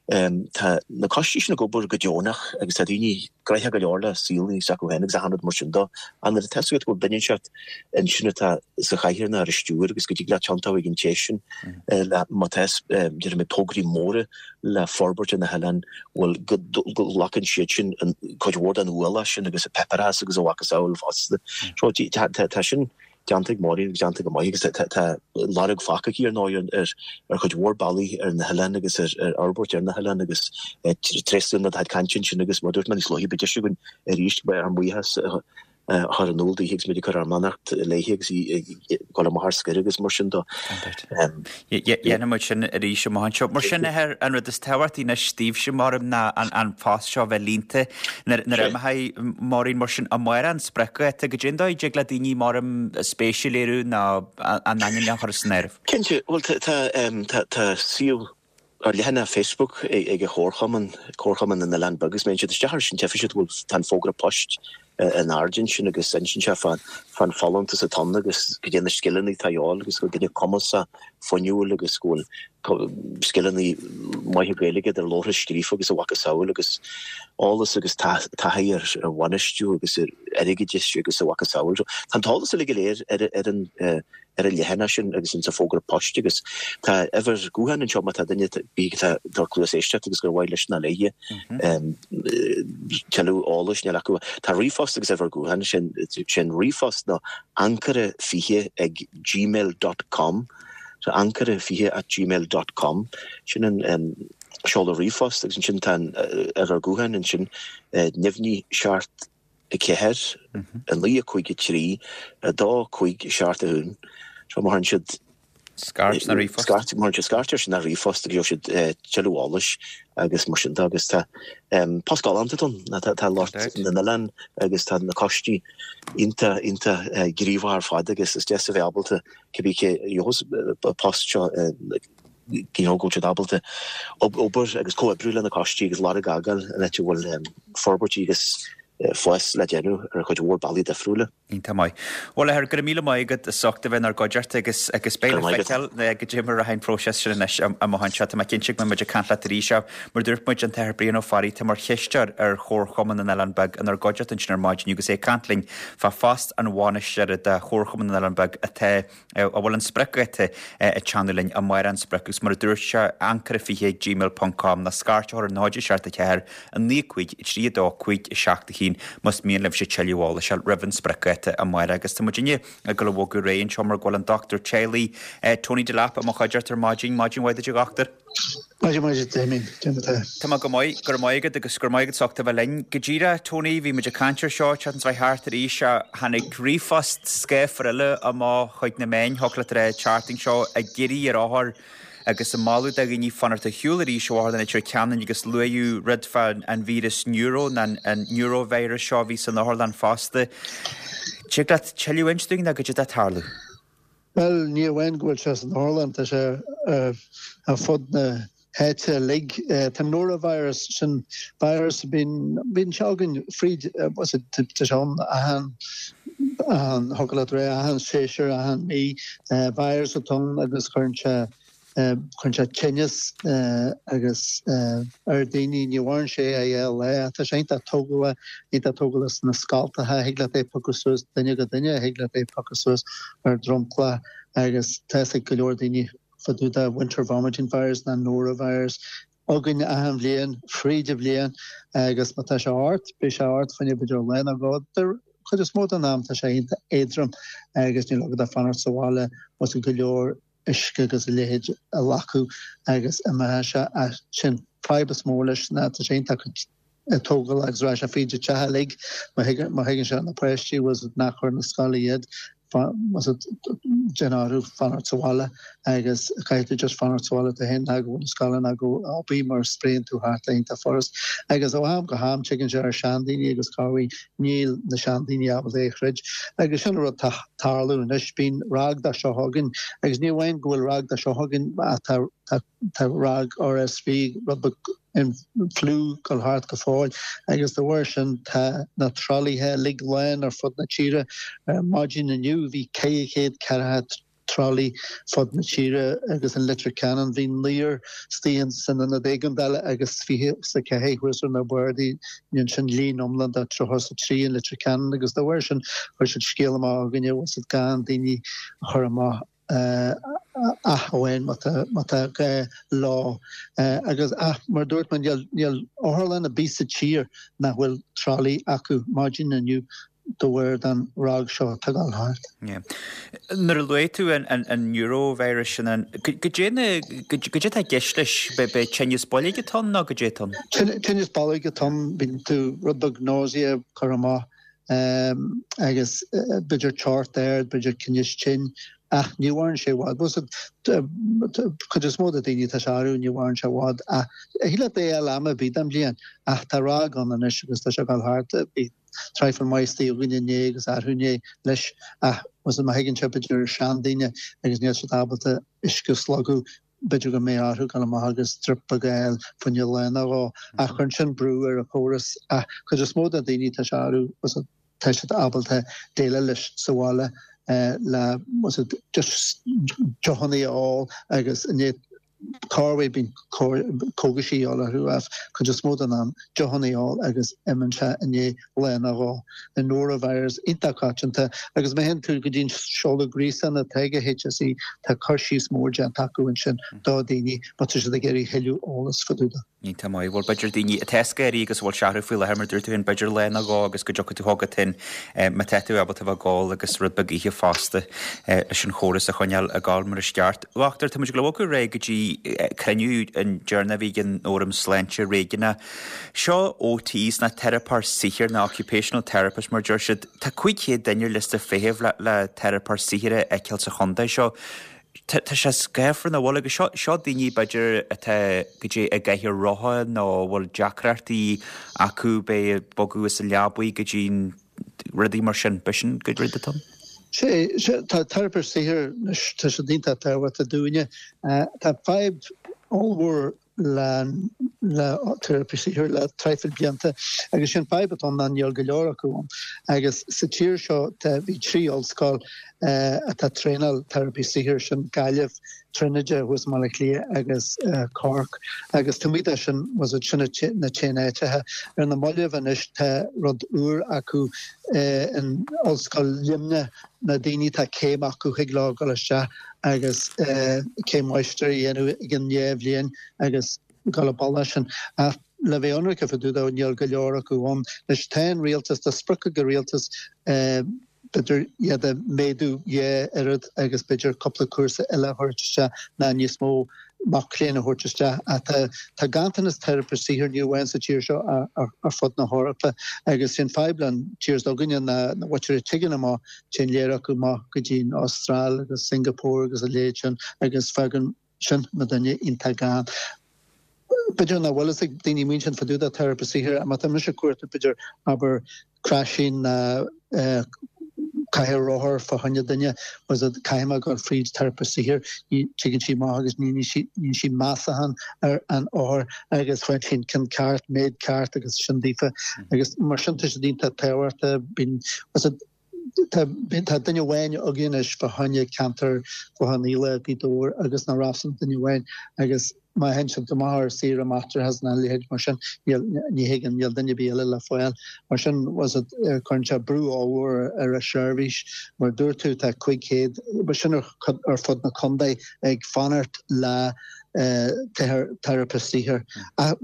tá na coistí sin ag obair go deonach agus tá daoine gnoitheach go leor le saol s'acu féin agus achan rud mar sin de. Ach nuair atá a fhios agat go bhfuil duine inteacht ansin atá sa chathaoir nó ar an stiúir agus go dtig leat tiontú ag an té sin le má tá déarfaidh mé tograí móra le forbairt ar na hoileáin, bhuel go nglacann siad sin an cuid mhór den ualach sin agus an páipéarachas agus a mhacasamhail fosta. So tá sin déanta ag Máirín agus déanta go maith agus tá lorg fágtha aici ar ndóigh ar ar chuid mhór bealaí ar na hoileáin agus ar fhorbairt ar na hoileáin agus tréaslaím do chuid cainte ansin agus mar a dúirt mé níos luaithe beidh deis againn arís ár mbuíochas a chur in iúl daoithe agus muid ag cur ár mbeannacht léi agus í ag dul amach ar scor agus mar sin de. Dhéanfaidh muid sin arís amach anseo. Mar sin, an rud is tábhachtaí anois daoibhse, maram, ná an post seo a bheith líonta nuair a imeoidh Máirín. Mar sin, amárach an spriocdháta, goidé an dóigh a dtig le daoine, maram, spéis a léiriú nó a n-ainm a chur san áireamh? Cinnte, bhuel tá suíomh ar leathanach Facebook ag an Chomharchumann, Comharchumann na nOileán Beag, agus má théann siad isteach air sin tchífidh siad go bhfuil, tá an fógra poist in airde ansin agus insíonn sé fán fán folúntas atá ann agus goidé na scileanna atá a dhíobháil agus go bhfuil duine cumasach, fuinniúil agus go bhfuil scileanna maithe Gaeilge idir labhartha scríofa agus a mhacasamhail agus eolas agus taithí ar bhainistiú agus ar airgeadas agus a mhacasamhail. Tá an t-eolas uilig go léir ar ar an ar an leathanach sin agus insa fógra poist agus tá uimhir gutháin anseo má tá duine ar bith atá ag tabhairt cluas éisteachta agus gur mhaith leis nó léi tuilleadh eolais níl acu. Tá ríomhphost agus uimhir gutháin, sin sin ríomhphost ná ancaire fiche ag gmail dot com so ancaire fiche at gmail dot com sin an seoladh ríomhphost agus ansin tá an uimhir gutháin ansin neamhní seacht a ceathair, a naoi, a cúig, a trí, a dó, cúig, seacht, a haon. So má théann siad Scairt nó ríomhphost. Scairt, má théann siad scairt air sin nó ríomhphost agus gheobhaidh siad tuilleadh eolais agus mar sin de agus tá post galánta ann. Tá lucht na n-oileán agus tá na coistí iontach, iontach gníomhach ar fad agus is deas a bheith ábalta cibé cé a gheobhas an post seo you know, go bhfuil siad ábalta obair agus comhoibriú le na coistí agus lorg a fhágáil an áit a bhfuil forbairtí agus fás le déanamh ar chuid mhór bealaí difriúla. Iontach maith. Bhuel, a Athair, go raibh míle maith agat as ucht a bheith inár gcuideachta agus agus beidh le feiceáil goidé mar a rachaidh an próiseas sin anois amach anseo. Tá mé cinnte go mbeidh muid ag caint leat arís ach mar dúirt muid, an tAthair Brian Ó Fearraigh, atá mar chisteoir ar Chomharchumann na nOileán Beag inár gcuideachta ansin ar maidin agus é ag caint linn fá phost an bhainisteora de Chomharchumann na nOileán Beag atá a bhfuil an spriocdháta ag teannadh linn amárach an sprioc agus mar a dúirt sé, ancaire fiche ag gmail ponc com nó scairt a chur ar náid seacht a ceathair a naoi cúig trí a dó cúig a seacht a haon más mian libhse tuilleadh eolais a fháil roimh an spriocdháta amárach agus tá muidinne ag dul a bhogadh ar aghaidh anseo mar go bhfuil an dochtúir teaghlaigh Tony Delap i mo chuideachta ar maidin. Maidin mhaith duit a dhochtúir. Maidin mhaith duit Damien, cén mar atá? Tá mé go maith, go raibh maith agat agus go raibh maith agat as ucht a bheith linn. Go díreach, Tony, bhí muid ag caint ar seo, tseachtain seo thart arís, tháinig ríomhphost scáfar eile amach chuig na meáin, thiocfadh leat a rá, an tseachtain seo, ag iarraidh ar othair agus ag moladh do dhaoine fanacht ar shiúl arís ó Otharlann Leitir Ceanainn agus luadh rud fá an víreas neuro, nó an neurovirus seo a bhí san otharlann fosta. Tig leat tuilleadh a inse dúinn nó goidé atá ag tarlú? Bhuel, ní amháin go bhfuil sé san otharlann, tá sé ar fud na háite uilig. Tá an norovirus, sin virus a bíonn, bíonn sé againn fríd, tá sé ann achan, achan, thiocfadh leat rá, achan séasúr, achan mí. Virus atá ann agus cuireann sé, cuireann sé tinneas agus ar daoine, ní mhaireann sé ach dhá lá. Tá sé iontach tógálach, iontach tógálach sna scoltacha, thig leat é a phiocadh suas duine go duine, thig leat é a phiocadh suas ar dromchla agus tá fhios ag go leor daoine fá dtaobh de winter vomiting virus ná norovirus againn achan bhliain, fríd an bhliain agus má tá sé ort, beidh sé ort fá choinne b'fhéidir lá nó dhó. Den chuid is mó den am tá sé iontach éadrom agus níl agat ach fanacht sa bhaile agus go leor uisce agus a leithéid a ghlacadh agus imeoidh sé. Ach sin fadhb is mó leis ná tá sé iontach tógálach agus raghaidh sé fríd an teach uilig má thagann sé ar na páistí was nach chur na scoile iad was déan orthu fanacht sa bhaile agus caithfidh tú just fanacht sa bhaile tú féin ná gabh na scoile ná gabh obair mar spréann tú thart é iontach furast agus ó am go ham tigeann sé ar seandaoine agus corruair níl na seandaoine ábalta é a throid agus sin an rud tá tarlú anois bíonn ráig de seo againn agus ní amháin go bhfuil ráig de seo againn ach tá tá tá ráig RSV rud beag an fliú ag dul thart go fóill agus de bharr sin tá na tralaithe uilig lán ar fud na tíre. Ar maidin inniu bhí ceithre chéad ceathracha tralaí fud na tíre agus in Leitir Ceanainn bhí naonúr istigh san ionad éigeandála agus fiche is a ceathair thuas ar na bardaí ansin líon iomlán de tríocha is a trí in Leitir Ceanainn agus de bharr sin chuir siad scéal amach againne bhfuil siad gan daoine a chur amach ach amháin má tá gá leo. Agus ach mar dúirt mé níl níl otharlann ar bith sa tír nach bhfuil tralaí acu maidin inniu de bharr den ráig seo atá ag dul thart. Nuair a luaigh tú an norovirus sin, goidé na, goidé atá i gceist leis, b'é tinneas boilg atá ann nó goidé atá ann? Tinneas boilg atá ann, bíonn tú rud beag nausea ag cur amach agus b'fhéidir teocht ard, b'fhéidir cnis tinn ach ní mhaireann sé i bhfad. Cuid is mó de daoine tá sé orthu ní mhaireann sé i bhfad ach thig leat é a fháil am ar bith den bhliain ach tá ráig ann anois agus tá sé ag dul thart. Bhí traidhfil maith istigh againn inné agus arú inné leis ach má thagann sé b'fhéidir ar seandaoine agus níl siad ábalta uisce a slogadh b'fhéidir go mbeidh orthu dul amach agus drip beag a fháil fá choinne lá nó dhó ach cuireann sin brú ar an chóras ach cuid is mó de daoine tá sé orthu tá siad ábalta déileáil leis sa bhaile le just deochanna a ól agus i ndiaidh corruair bíonn cógaisí a dhíobháil orthu ach cuid is mó den am deochanna a ól agus imíonn sé i ndiaidh lá nó dhó. An norovirus iontach coitianta agus má théann tú go dtí an seoladh gréasáin atá ag HSE tá cur síos mór déanta acu ansin do dhaoine má tá siad ag iarraidh thuilleadh eolas fá dtaobh de. Iontach maith. Bhuel b'fhéidir daoine atá ag éirí agus a bhfuil sé orthu faoi láthair mar dúirt tú féin b'fhéidir lá nó dhó agus go dtiocfaidh tú chugat féin má tá tú ábalta bheith ag gabháil agus rud beag a ithe fosta leis an chóras a choinneáil ag gabháil mar is ceart. A dhochtúir, tá muid ag bogadh ar aghaidh go dtí cruinniú an deireanach a bhí ag an Fhóram Sláinte Réigiúnach. Seo OTs ná teiripeoir saothair nó occupational therapist mar deir siad. Tá cúig chéad duine ar liosta feithimh le le teiripeoir saothair a fheiceáil sa chontae seo. Tá sé scáfar nach bhfuil agus seo seo daoine b'fhéidir atá goidé i gcathaoir rotha nó a bhfuil deacrachtaí acu bheith ag bogadh as an leabaidh go dtí rudaí mar sin. B'shin an rud atá ann? Sé, sé, tá teiripeoir saothair anois, tá siad iontach tábhachtach dúinne. Tá fadhb ollmhór le le teiripeoirí saothair le traidhfil blianta agus sin fadhb atá ann ná níl go leor acu ann. Agus sa tír seo tá bhí trí ollscoil atá ag traenáil teiripeoirí saothair, sin Gaillimh, Tríonóide thuas i mBaile Átha Cliath agus Cork. Agus taobh amuigh de sin was it sin na t-aon áiteacha. Ar na mallaibh anois tá rud úr acu in Ollscoil Luimnigh, na daoine atá céim acu thig leo dul isteach agus céim mháistir a dhéanamh i gcionn dhá bhliain agus dul an bealach sin. Ach le bheith ionraic fá dtaobh de níl go leor acu ann. Anois tá an rialtas, tá sprioc ag an rialtas b'fhéidir iad a mhéadú dhá oiread agus b'fhéidir cúpla cúrsa eile a thabhairt isteach ná níos mó mac léinn a thabhairt isteach. Ach tá tá ganntanas teiripeoirí saothair ní amháin sa tír seo ach ar fud na hEorpa agus sin fadhb le an tír s'againne ná na muintir a tigeann amach téann lear acu amach go dtí an Astráil agus Singapore agus a leithéid sin agus fágann sin muidinne iontach gann. B'fhéidir nach bhfuil fhios ag daoine muid sin fá dtaobh de teiripeoir saothair, má tá mise ag cuartú b'fhéidir abair craiseann ná cathaoir rothar fá choinne duine was it caithfidh mé dul fríd teiripist saothair ní tigeann sí amach agus ní sí ní sí measachán ar an othar agus faigheann sí an ceann ceart méid ceart agus sin daofa agus mar sin tá siad iontach tábhachtach bíonn was it tá tá duine amháin againn anois fá choinne ceantar Clochán Fhaola Gaoth Dobhair agus na Rosann duine amháin agus má théann siad amach ar saoire máithreachais nó a leithéid mar sin níl ní thuigeann níl duine ar bith eile le fáil. Mar sin was it cuireann sé brú ollmhór ar an seirbhís mar dúirt tú tá cúig chéad sin ar ar fud na contae ag fanacht le teiripist saothair.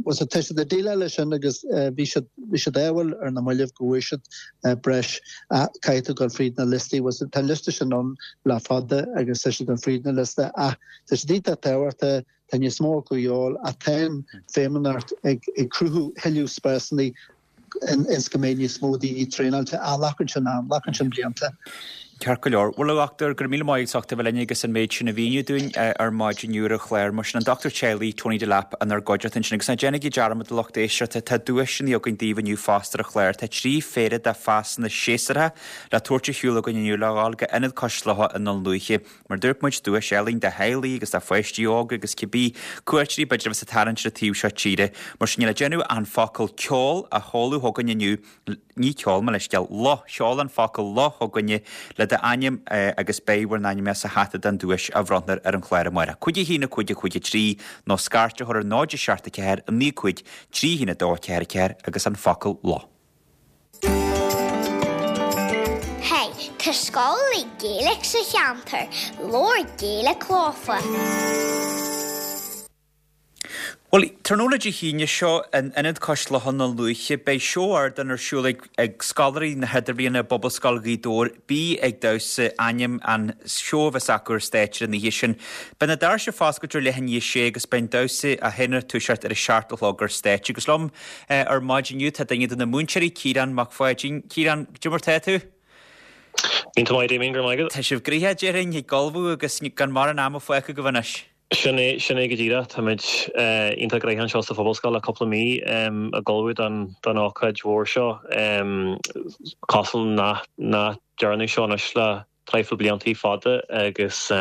Was it tá siad ag déileáil leis sin agus bhí siad bhí siad ádhúil ar na mallaibh go bhfuair siad breis caithfidh tú dul fríd na liostaí was it tá an liosta sin ann le fada agus tá siad ag dul fríd na liosta ach tá siad iontach tábhachtach tá níos mó acu a dhíobháil ach tá an Feidhmeannacht ag cruthú thuilleadh spásanna ins go mbeidh níos mó daoine traenáilte ach glacann sin am, glacann sin blianta. Ceart go leor. Bhuel, a dhochtúir, go raibh míle maith agat as ucht a bheith linn agus an méid sin a mhíniú dúinn ar maidin inniu ar an chlár. Mar sin an dochtúir teaghlaigh Tony Delap inár gcuideachta ansin. Agus ná déanaigí dearmad a lucht éisteachta, tá duaiseanna againn daoibh inniu fosta ar an chlár. Tá trí phéire de phasanna séasúrtha le tabhairt ar shiúl againn inniu le dhul go Ionad Cois Locha i nDún Lúiche. Mar dúirt muid, duais álainn do theaghlaigh agus do pháistí óga agus cibé cuairteoirí b'fhéidir a bheas ag tarraingt ar an taobh seo tíre. Mar sin, níl le déanamh ach an focal ceol a sheoladh chugainn inniu, ní ceol, mo leithscéal, luth, seol an focal luth chugainne le d'ainm agus beidh bhur n-ainm sa hata don duais a bhronnfar ar an chlár amárach. Cúig a haon a cúig a cúig a trí nó scairt a chur ar náid a seacht a ceathair a naoi cúig trí haon a dó a ceathair a ceathair agus an focal luth. Hey, tá scoil Gaeilge sa cheantar, labhair Gaeilge leofa. Bhuel, tráthnóna Dé hAoine seo in Ionad Cois Locha i nDún Lúiche, beidh seó ardáin ar siúl ag ag scoláirí na hIdirbhliana i bPobalscoil Ghaoth Dobhair, Bí ag Damhsa ainm an seó a bheas acu ar stáitse an oíche sin. Beidh na doirse foscailte ar leath i ndiaidh a sé agus beidh an damhsa á sheinm ag toiseacht ar a seacht a chlog ar stáitse. Agus liom ar maidin inniu tá duine de na múinteoirí, Ciarán Mac Pháidín. Ciarán, cad é mar tá tú? Iontach maith, Damien, go raibh maith agat. Tá sibh gnoitheach, déarfainn, ag ullmhú agus gan mórán ama fágtha agaibh anois. Sin é, sin é go díreach. Táimid iontach gnoitheach anseo sa Phobalscoil le cúpla mí ag ullmhú don don ócáid mhór seo. Cosúil nach nach dearnadh seo anois le traidhfil bliantaí fada agus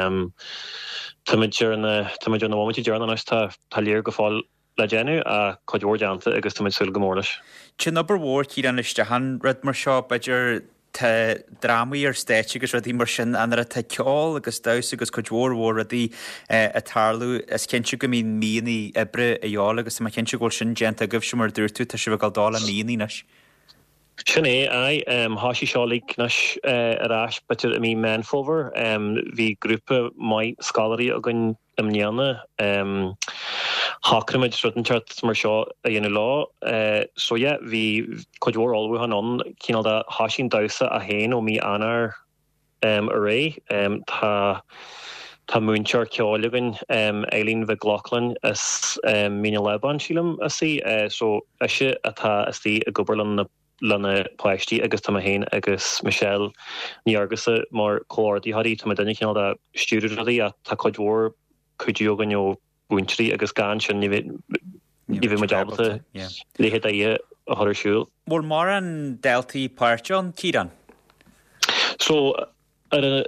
táimid ar na táimid ar na bhomaití deireanacha anois. Tá tá léir go fóill le déanamh ach cuid mhór déanta agus táimid súil go mór leis. Téann obair mhór, Ciarán, isteach in rud mar seo, b'fhéidir tá drámaí ar stáitse agus rudaí mar sin, ach nuair atá ceol agus damhsa agus cuid mhór mhór rudaí ag tarlú, is cinnte go mbíonn míonna oibre a dhíobháil agus tá mé cinnte go bhfuil sin déanta agaibhse mar a dúirt tú, tá sibh ag dul dul le míonna anois. Sin é, aye. Thoisigh seo uilig anois ar ais b'fhéidir i mí Meán Fómhair. Bhí grúpa maith scoláirí againn i mbliana. Shocraigh muid rud inteacht mar seo a dhéanamh leo. So yeah, bhí cuid mhór ullmhúchán ann, cineál de thoisigh an damhsa é féin ó mí Eanáir ar aghaidh. Tá tá múinteoir ceoil againn, Eileen Mhic Lochlainn as Mín an Lábáin, sílim as í. So ise atá istigh ag obair le na le na páistí agus tá mé féin agus Michelle Ní Fhearghusa mar chomhordaitheoirí. Tá muidinne cineál de stiúradh rudaí ach tá cuid mhór cuidiú againn ó mhúinteoirí agus gan sin ní bheadh muid ábalta leithéid d'oíche a chur ar siúl. Bhfuil mórán daltaí páirteach ann, Ciarán? So ar a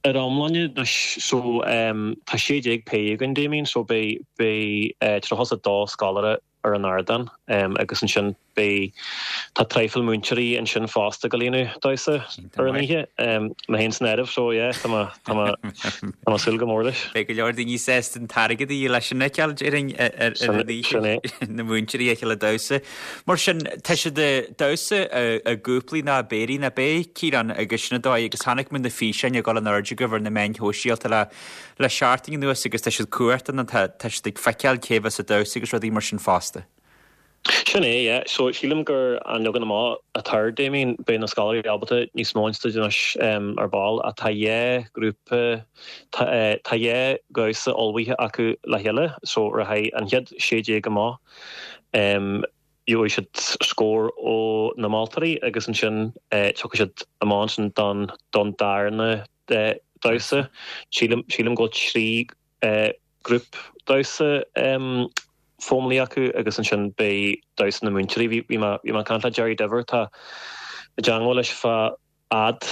ar iomláine so tá sé déag péire againn Damien so beidh beidh tríocha is a dó scoláire ar an ardán agus ansin beidh tá traidhfil múinteoirí ansin fosta ag déanamh damhsa ar an oíche mé féin san áireamh so yeah tá mé tá mé tá mé súil go mór leis. Beidh go leor daoine sásta an t-airgead a dhíol leis an fheiceáil déarfainn ar an oíche na múinteoirí a fheiceáil ag damhsa. Mar sin tá siad ag damhsa i gcúplaí nó i bpéirí nach ea Ciarán agus sin an dóigh agus chonaic muid na físeáin ag dul in airde agaibh ar na meáin shóisialta le le seachtain anuas agus tá siad cumhachtach nó tá tá siad ag feiceáil cé bheas ag damhsa agus rudaí mar sin fosta. Sin é, yeah. So sílim gur an leagan amach atá air Damien, beidh na scoláirí ábalta níos mó a inste anois ar ball ach tá dhá ghrúpa tá tá dhá dhamhsa ullmhaithe acu le chéile so rachaidh an chéad sé déag amach gheobhaidh siad scór ó na moltóirí agus ansin tiocfaidh siad amach ansin don don darna damhsa. Sílim sílim go bhfuil trí grúp damhsa fómlaí acu agus ansin beidh damhsa na múinteoirí. Bhí bhí mé bhí mé ag caint le Jerry Diver tá i dteagmháil leis feadh fhad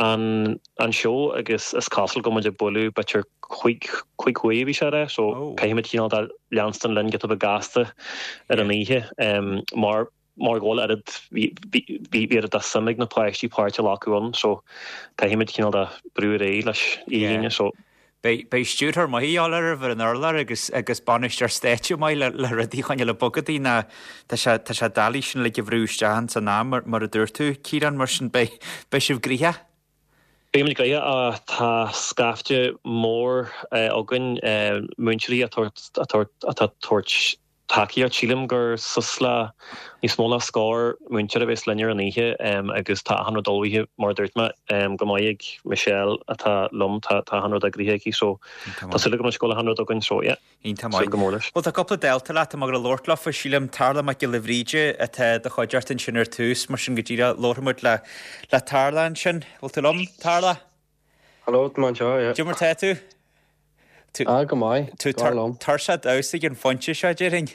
an an seó agus is cosúil go muid ag bualadh b'fhéidir cúig cúig huaire a bhí sé a rá so caithfimid cineál de leanstan linn giota beag gasta ar an oíche mar mar go bhfuil oiread bhí bhí oiread de suim ag na páistí páirt a ghlacadh ann so caithfimid cineál de brú ar aghaidh leis oíche Aoine so Beidh beidh stiúrthóir maith a dhíobháil oraibh ar an urlár agus agus bainisteoir stáitse maith le le rudaí a choinneáil ag bogadaí ná tá sé tá sé doiligh sin uilig a bhrú isteach ins an am mar mar a dúirt tú, Ciarán, mar sin beidh beidh sibh gnoitheach. Beimid gnoitheach. Tá scaifte mór againn múinteoirí atá atá atá tabhairt tacaíocht. Sílim gur suas le níos mó ná scór múinteoir a bheas linn ar an oíche agus tá achan rud ullmhaithe mar a dúirt mé go maith ag Michelle atá liom, tá achan rud eagraithe aici so tá súil agam anois go bhfuil achan rud againn so yeah. Iontach maith. Súil go mór leis. Bhuel tá cúpla dalta leat atá ag gabháil a labhairt leofa, sílim Tarlach Mac Giolla Bhríde atá i do chuideachta ansin ar tús, mar sin go díreach labharfaidh muid le le Tarlach ansin. Bhfuil tú liom, Tarlach? Hello, tá mé anseo, yeah. Cad é mar tá tú? Ah, go maith. Tú Go liom. tuirseach damhsa ag an phointe seo, déarfainn.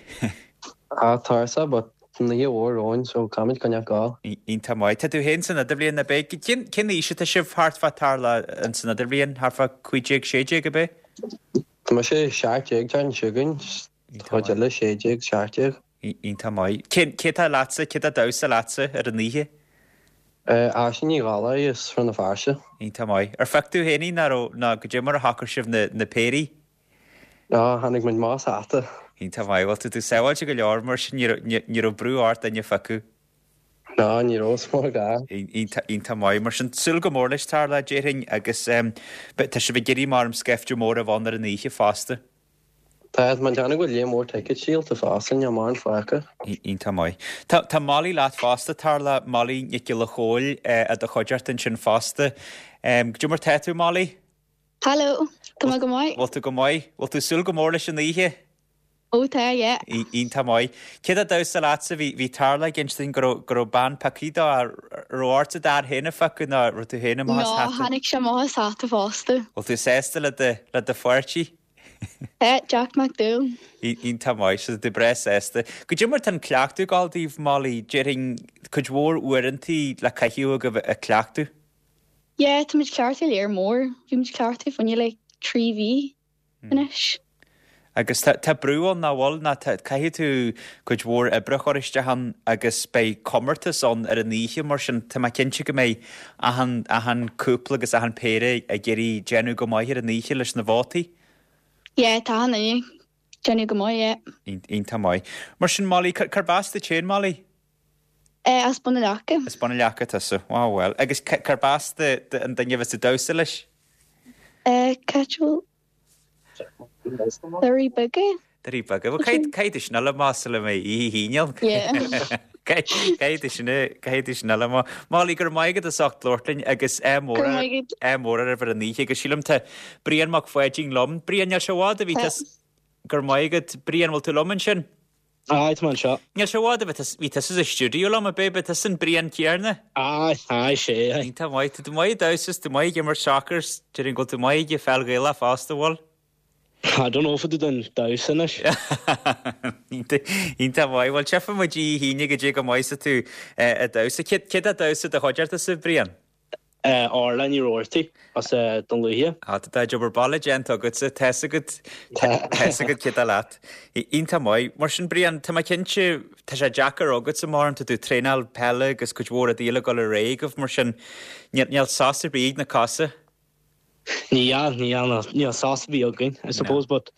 Ah, tuirseach, but an oíche mhór romhainn, so caithfimid coinneáil ag gabháil. Iontach maith. Tá tú féin san idirbhliain, ab ea? Cén cén aois atá sibh thart fá Tarlach in san idirbhliain? Thart fá cúig déag, sé déag, ab ea? Tá mise seacht déag déarfainn chugainn, Iontach chuid maith. eile sé déag, seacht déag. Iontach maith. Cén cé atá leatsa, cé atá ag damhsa leatsa ar an oíche? Aisling Ní Dhálaigh as Rann na Feirste. Iontach maith. Ar phioc tú féin í nó raibh nó goidé mar a shocair sibh na na péirí? Á, tháinig muid amach as hata. Iontach maith. Bhuel, tá tú sábháilte go leor mar sin, ní raibh ní raibh brú ort duine a phiocadh. Ná, ní raibh, is mór gá. Iontach iontach maith. Mar sin, súil go mór leis, Tarlach, déarfainn, agus tá sibh ag iarraidh maram scaifte mór a bheith ann ar an oíche fosta. Tá, tá mé ag déanamh go bhfuil líon mór tickets díolta fosta, níl mórán fágtha. Iontach maith. Tá tá Molly leat fosta, Tarlach, Molly Nic Giolla Chóill i do chuideachta ansin fosta. Goidé mar tá tú, Molly? Hello, tá mé go maith. Bhfuil tú go maith? Bhfuil tú súil go mór leis an oíche? Ó tá, yeah. Iontach maith. Cé atá ag damhsa leatsa? Bhí bhí Tarlach ag insint dúinn go raibh go raibh bean pioctha dó, raibh ortsa d'fhear féin a phiocadh nó raibh tú féin amach as No, hata? tháinig sé amach as hata fosta. Bhfuil tú sásta le do le do pháirtí? Eh, Jack Mac Dúil. Iontach maith, so tú breá sásta. Goidé mar tá an cleachtadh ag gabháil daoibh, Molly, déarfainn cuid mhór uaireantaí le caitheamh agaibh ag cleachtadh. Yeah, tá muid ag cleachtadh lear mór. Bhí muid ag cleachtadh fá choinne like trí mhí anois. Agus tá tá brú ann nach bhfuil, ná tá caithfidh tú cuid mhór oibre a chur isteach ann agus beidh comórtas ann ar an oíche mar sin tá mé cinnte go mbeidh achan achan cúpla agus achan péire ag iarraidh déanamh go maith ar an oíche leis na vótaí. Yeah, tá achan duine ag déanamh go maith, yeah. Iontach maith. Mar sin Molly, cárb as duit féin Molly? Eh, as Bun na Leaca. As Bun na Leaca tusa. Wow, well. Agus cárb as do an duine a bheas ag damhsa leis? Eh, Caitriúil. Doirí Beaga. Doirí Beaga. Well, caithfidh tú sin a fháil amach sula mbeidh oíche Aoine ann. Yeah. Caithfidh tú sin caithfidh tú sin a fháil amach. Molly, go raibh maith agat as ucht labhairt linn agus ádh mór Go raibh maith agat. ádh mór oraibh ar an oíche agus sílim tá Brian Mac Pháidín liom. Brian, níl sé i bhfad a bhí Tá. tusa go raibh maith agat. Brian, bhfuil tú liom ansin? Aye, tá mé anseo. Níl sé i bhfad a bhí tusa bhí tusa sa stiúideo liom, ab ea? Ab tusa an Brian céanna? Aye, aye, sé, aye. Iontach maith. Tá tú maith ag damhsa, tú maith ag imirt soccer, déarfainn go bhfuil tú maith ag peil Ghaelach fosta, bhfuil? I don't know if I den damhsa anois. Iontach maith. Bhuel, tchífidh muid oíche Aoine goidé chomh maith is atá tú ag damhsa. Cé cé atá ag damhsa i do chuideachta, a Bhriain? Uh, Orla Ní Roarty as uh, Dún Lúiche. Á, tá obair baile déanta agatsa, tá's agat tá's agat cé atá leat. Iontach maith. Mar sin Brian, tá mé cinnte tá sé deacair agatsa mar tá tú traenáil peile agus cuid mhór rudaí eile ag dul ar aghaidh agaibh mar sin níl níl sos ar bith ag na cosa. Níl níl níl sos ar bith againn, I suppose, but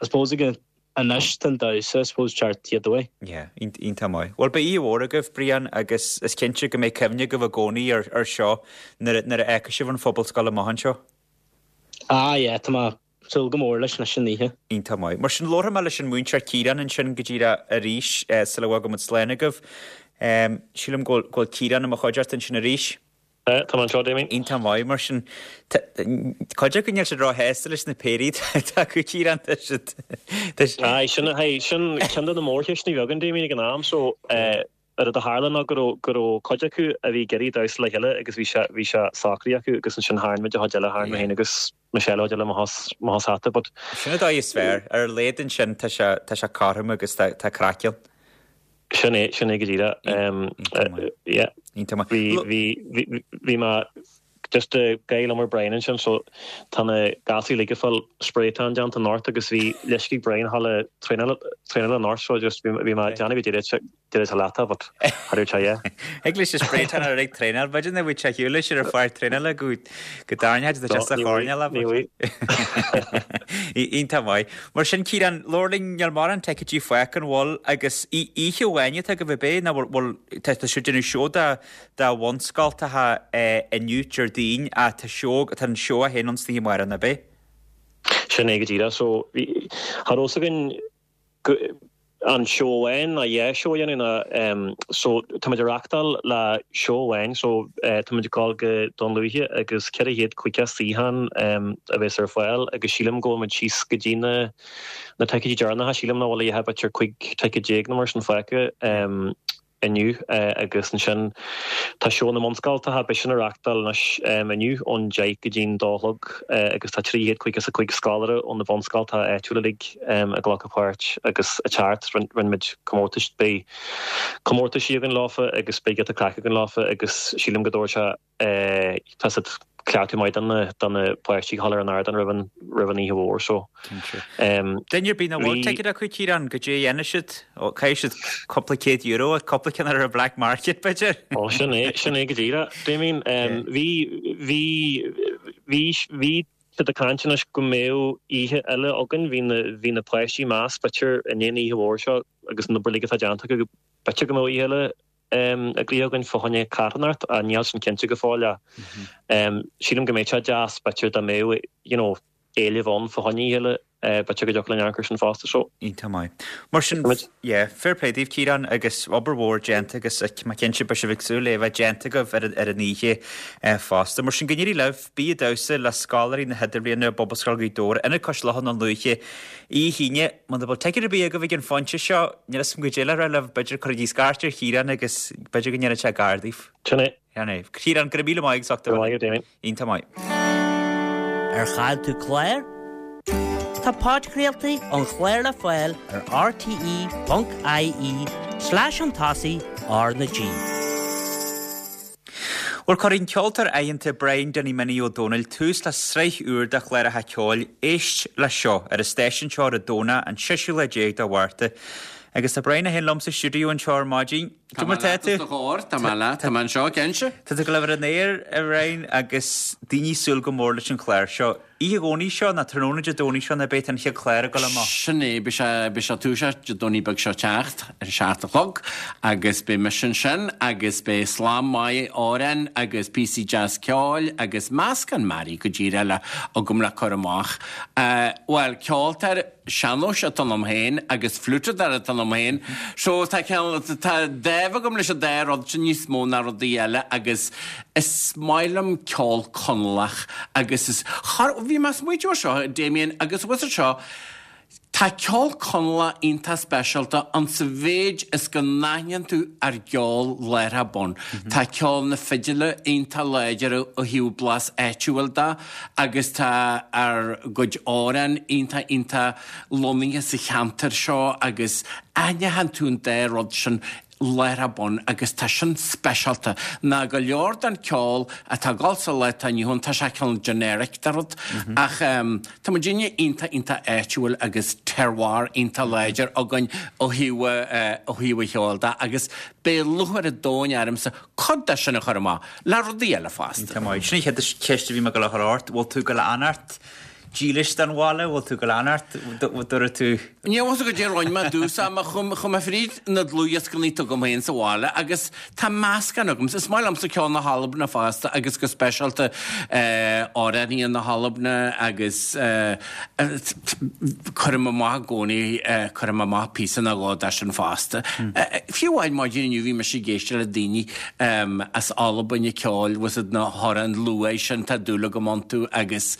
I suppose again anois den damhsa, I suppose chart the other way. Yeah, iontach maith. Well beidh oíche mhór agaibh Brian agus is cinnte go mbeidh cuimhne agaibh i gcónaí ar ar seo nuair nuair a fheicfidh sibh an Phobalscoil amach anseo. Ah, yeah, tá mé súil go mór leis leis an oíche. Iontach maith. Mar sin labharfaidh mé leis an múinteoir Ciarán ansin go díreach arís eh, sula bhfágfaidh muid slán agaibh. Um, sílim go bhfuil Ciarán i mo chuideachta ansin arís. Eh, tá mé anseo, Damien. Iontach maith mar sin cuid acu níl siad róshásta leis na péirí tá acu Ciarán tá siad tá siad- Aye, sin hey, sin ceann de na mórcheisteanna a bhí againn Damien ag an am so eh, ar a tharla ná go raibh go raibh cuid acu a bhí ag iarraidh damhsa le chéile agus bhí sé bhí sé socraithe acu agus ansin tharraing muid an chuid eile tharraing mé féin agus Michelle chuid eile amach as amach as hata but Sin an dóigh is fearr ar a laghad ansin tá sé tá sé cothrom agus tá tá craic ann. Sin é, sin é go díreach. Yeah. Bhí, bhí, bhí, bhí mé just ag gabháil liom ar Brian ansin so tá na gasúir uilig ag fáil spray tan déanta anocht agus bhí leisce ag Brian dhul ag traenáil traenáil anocht so just bhí bhí mé ag déanamh go dtí deireadh sa leata but cha raibh sé yeah. Thig leis an spray tan ar ag traenáil b'fhéidir nach bhfuil sé shiúl leis ar fearr traenála go go dtarraingeoidh sé sa choirnéal Ní bhfuil. Iontach maith. Mar sin Ciarán, labhair linn níl mórán ticéidí fágtha an bhfuil agus oíche amháin atá agaibh ab é nó bhfuil tá sibh ag déanamh seó de de bhunscoltacha inniu Déardaoin ach tá seó tá an seó a haon ann san oíche amárach ab é? Sin é go díreach so bhí cha raibh fhios againn go an seó amháin ná dhá seó a dhéanamh ná so táimid ag reachtáil le seó amháin so táimid ag gabháil go Dún Lúiche agus ceithre chéad caoga suíochán a bheas ar fáil agus sílim go bhfuil muid síos go dtí na na ticéidí deireanacha sílim nach bhfuil a dhath b'fhéidir cúig ticéad déag nó mar sin fágtha. Inniu agus ansin tá seó na mbunscoltacha, beidh sin á reachtáil anois inniu ón deich go dtí'n dó a chlog agus tá trí chéad caoga is a cúig scoláire ó na bunscoltacha áitiúla uilig ag glacadh páirt agus ag teacht. Rinne muid comórtais, beidh comórtaisí againn leofa agus beidh giota craic againn leofa agus sílim go dtabharfaidh sé tá siad cleachtadh maith do na do na páistí a dhul ar an ardán roimh an roimh an oíche mhór so. Duine ar bith nach bhfuil ticéad acu Ciarán, goidé a dhéanfaidh siad? Ó caithfidh siad cúpla céad euro cúpla ceann ar an black market b'fhéidir? Ó sin é sin é go díreach. Damien bhí bhí bhí bhí siad ag caint anois go mbeadh oíche eile againn bhí na bhí na páistí ag meas b'fhéidir i ndiaidh an oíche mhór seo agus an obair uilig atá déanta acu b'fhéidir go mbeadh oíche eile eagraithe againn fá choinne carthanacht ach níl sin cinnte go fóill ach sílim go mbeadh sé deas b'fhéidir dá mbeadh you know éileamh ann fá choinne oíche eile b'fhéidir go dtiocfadh linn amharc air sin fosta so. Iontach maith. Mar sin yeah fair play daoibh Ciarán agus obair mhór déanta agus mé cinnte beidh sibh ag súil le bheith déanta agaibh ar ar an oíche fosta. Mar sin go n-éirí libh, bí ag damhsa le scoláirí na hIdirbhliana i bPobalscoil Ghaoth Dobhair, Ionad Cois Locha i nDún Lúiche Oíche Aoine, muna bhfuil ticéad ar bith agaibh ag an phointe seo, níl a fhios agam goidé le rá libh, b'fhéidir cuirigí scairt ar Chiarán agus b'fhéidir go ndéanfaidh sé gar daoibh. Sin é. Sin é. Ciarán, go raibh míle maith agat as ucht a Go raibh maith agat, Damien. Iontach maith. Ar chaill tú clár? Tá podchraoltaí an chláir le fáil ar rte ponc ie slash an tosaigh R na G. Bhuel, cuirfidh an ceoltóir aitheanta Brian Danny Minnie Ó Dónaill tús le sraith úr de chláracha ceoil Éist Leis Seo ar an stáisiún seo ar an Domhnach an seisiú lá déag de Mhárta. Agus tá Brian é féin liom sa stiúideo anseo ar maidin. Tá mé leat os do chomhair, tá mé leat, tá mé anseo, cinnte. Tá tú ag gabháil a bheith ar an aer, a Bhriain, agus daoine ag súil go mór leis an chlár seo. Oíche Dhomhnaigh seo, nó tráthnóna Dé Domhnaigh seo, nó beidh an chéad chlár ag dul amach. Sin é, beidh sé, beidh sé ag toiseacht Dé Domhnaigh beag seo teacht, ar a seacht a chlog, agus beidh mise ansin, agus beidh slám maith amhrán agus píosaí deas ceoil agus meascán mearaí go díreach le agam le cur amach. Bhuel, ceoltóir sean-nóis atá ionam féin agus fliúiteadóir atá ionam féin, so tá cineál, tá dáimh agam leis an dá rud sin níos mó ná rudaí eile agus is maith liom ceol Conallach agus is, char, bhí mé ag smaoitiú ar seo, Damien, agus bhfuil fhios agat seo, tá ceol Conallach iontach speisialta an sa mhéid is go n-aithníonn tú ár gceol láithreach bonn. Tá ceol na fidile iontach láidir ó thaobh blas áitiúil de agus tá ár gcuid amhrán iontach iontach lonnaithe sa cheantar seo agus aithníonn tú an dá rud sin láithreach bonn agus tá sin speisialta ná go leor den ceol atá ag dul sa lá atá inniu ann, tá sé cineál generic de rud ach tá muidinne iontach iontach áitiúil agus terroir iontach láidir againn ó thaobh ó thaobh an cheoil de agus beidh lúcháir an domhain ormsa cuid de sin a chur amach le rudaí eile fosta. Iontach maith. Sin an chéad cheist a bhí mé ag dul a chur ort, bhfuil tú ag dul a fhanacht dílis don bhaile, bhfuil tú ag dul a fhanacht, dúirt tú. Níl fhios agam goidé a rinne mé i dtús ama, chuaigh mé fríd na dlúthdhioscanna atá agam féin sa bhaile agus tá meascán agam. Is maith liomsa ceol na hAlban fosta agus go speisialta amhránaithe na hAlban agus cuirim amach i gcónaí, cuirim amach píosa nó dhó de sin fosta. Fiú amháin maidin inniu bhí mise ag éisteacht le daoine as Albain ag ceol, bhfuil fhios agat na hamhráin luath sin, tá dúil agam iontu agus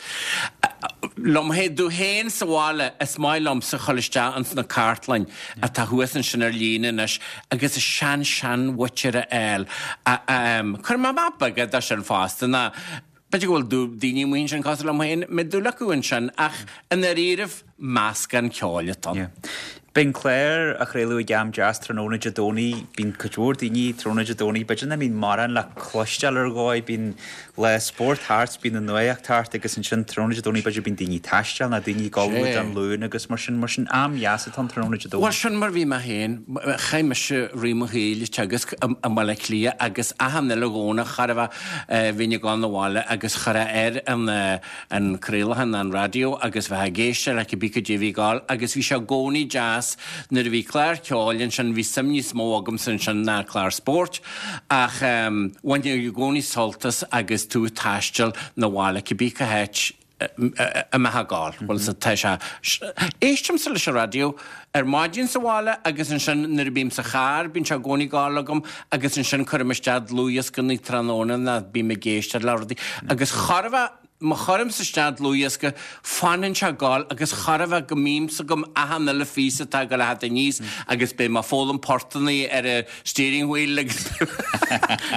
liom féin, domh féin sa bhaile, is maith liomsa dhul isteach ins na cartlainn atá thuas ansin ar líne anois agus an sean seanmhuintir a fháil. Cuirim amach beaga de sin fosta, ná b'fhéidir go bhfuil daoine amuigh ansin cosúil liom féin, mbeidh dúil acu ansin ach i ndáiríribh meascán ceoil atá ann. Bíonn clár á chraoladh ag am deas tráthnóna Dé Domhnaigh. Bíonn cuid mhór daoine tráthnóna Dé Domhnaigh, b'fhéidir nach mbíonn mórán le cloisteáil ar dhóigh. Bíonn lá spóirt thart, bíonn an nuacht thart agus ansin tráthnóna Dé Domhnaigh b'fhéidir bíonn daoine ag taisteal nó daoine ag ullmhú don Luan agus mar sin. Mar sin am dheas atá ann tráthnóna Dé Domhnaigh. Bhuel sin mar bhí mé féin. Chaith mise rith mo shaoil ag teagasc i mBaile Átha Cliath agus achan uile Dhomhnach cha raibh bhínn ag dul 'na bhaile agus chuirfeá air an an craolachán an raidió agus bheith ag éisteacht le cibé cad é a bhí ag gabháil agus bhí sé i gcónaí deas nuair a bhí clár ceoil ansin bhí suim níos mó agamsa ansin ná clár spóirt ach bhainfinn i gcónaí sult as agus tú ag taisteal 'na bhaile cibé cá háit a mbeifeá ag gabháil. Bhuel tá sé éistimse leis an raidió ar maidin sa bhaile agus ansin nuair a bím sa charr bíonn sé i gcónaí ag gabháil agam agus ansin cuirim isteach dlúthdhiosca tráthnóna ná bím ag éisteacht le rudaí agus chor a bheith Má chuirimse isteach dlúthdhiosca, fanann sé ag gabháil agus chor a bheith go mbímse agam achan uile phíosa atá ag dul a theacht aníos agus beidh mé ag foghlaim portannaí ar an steering wheel agus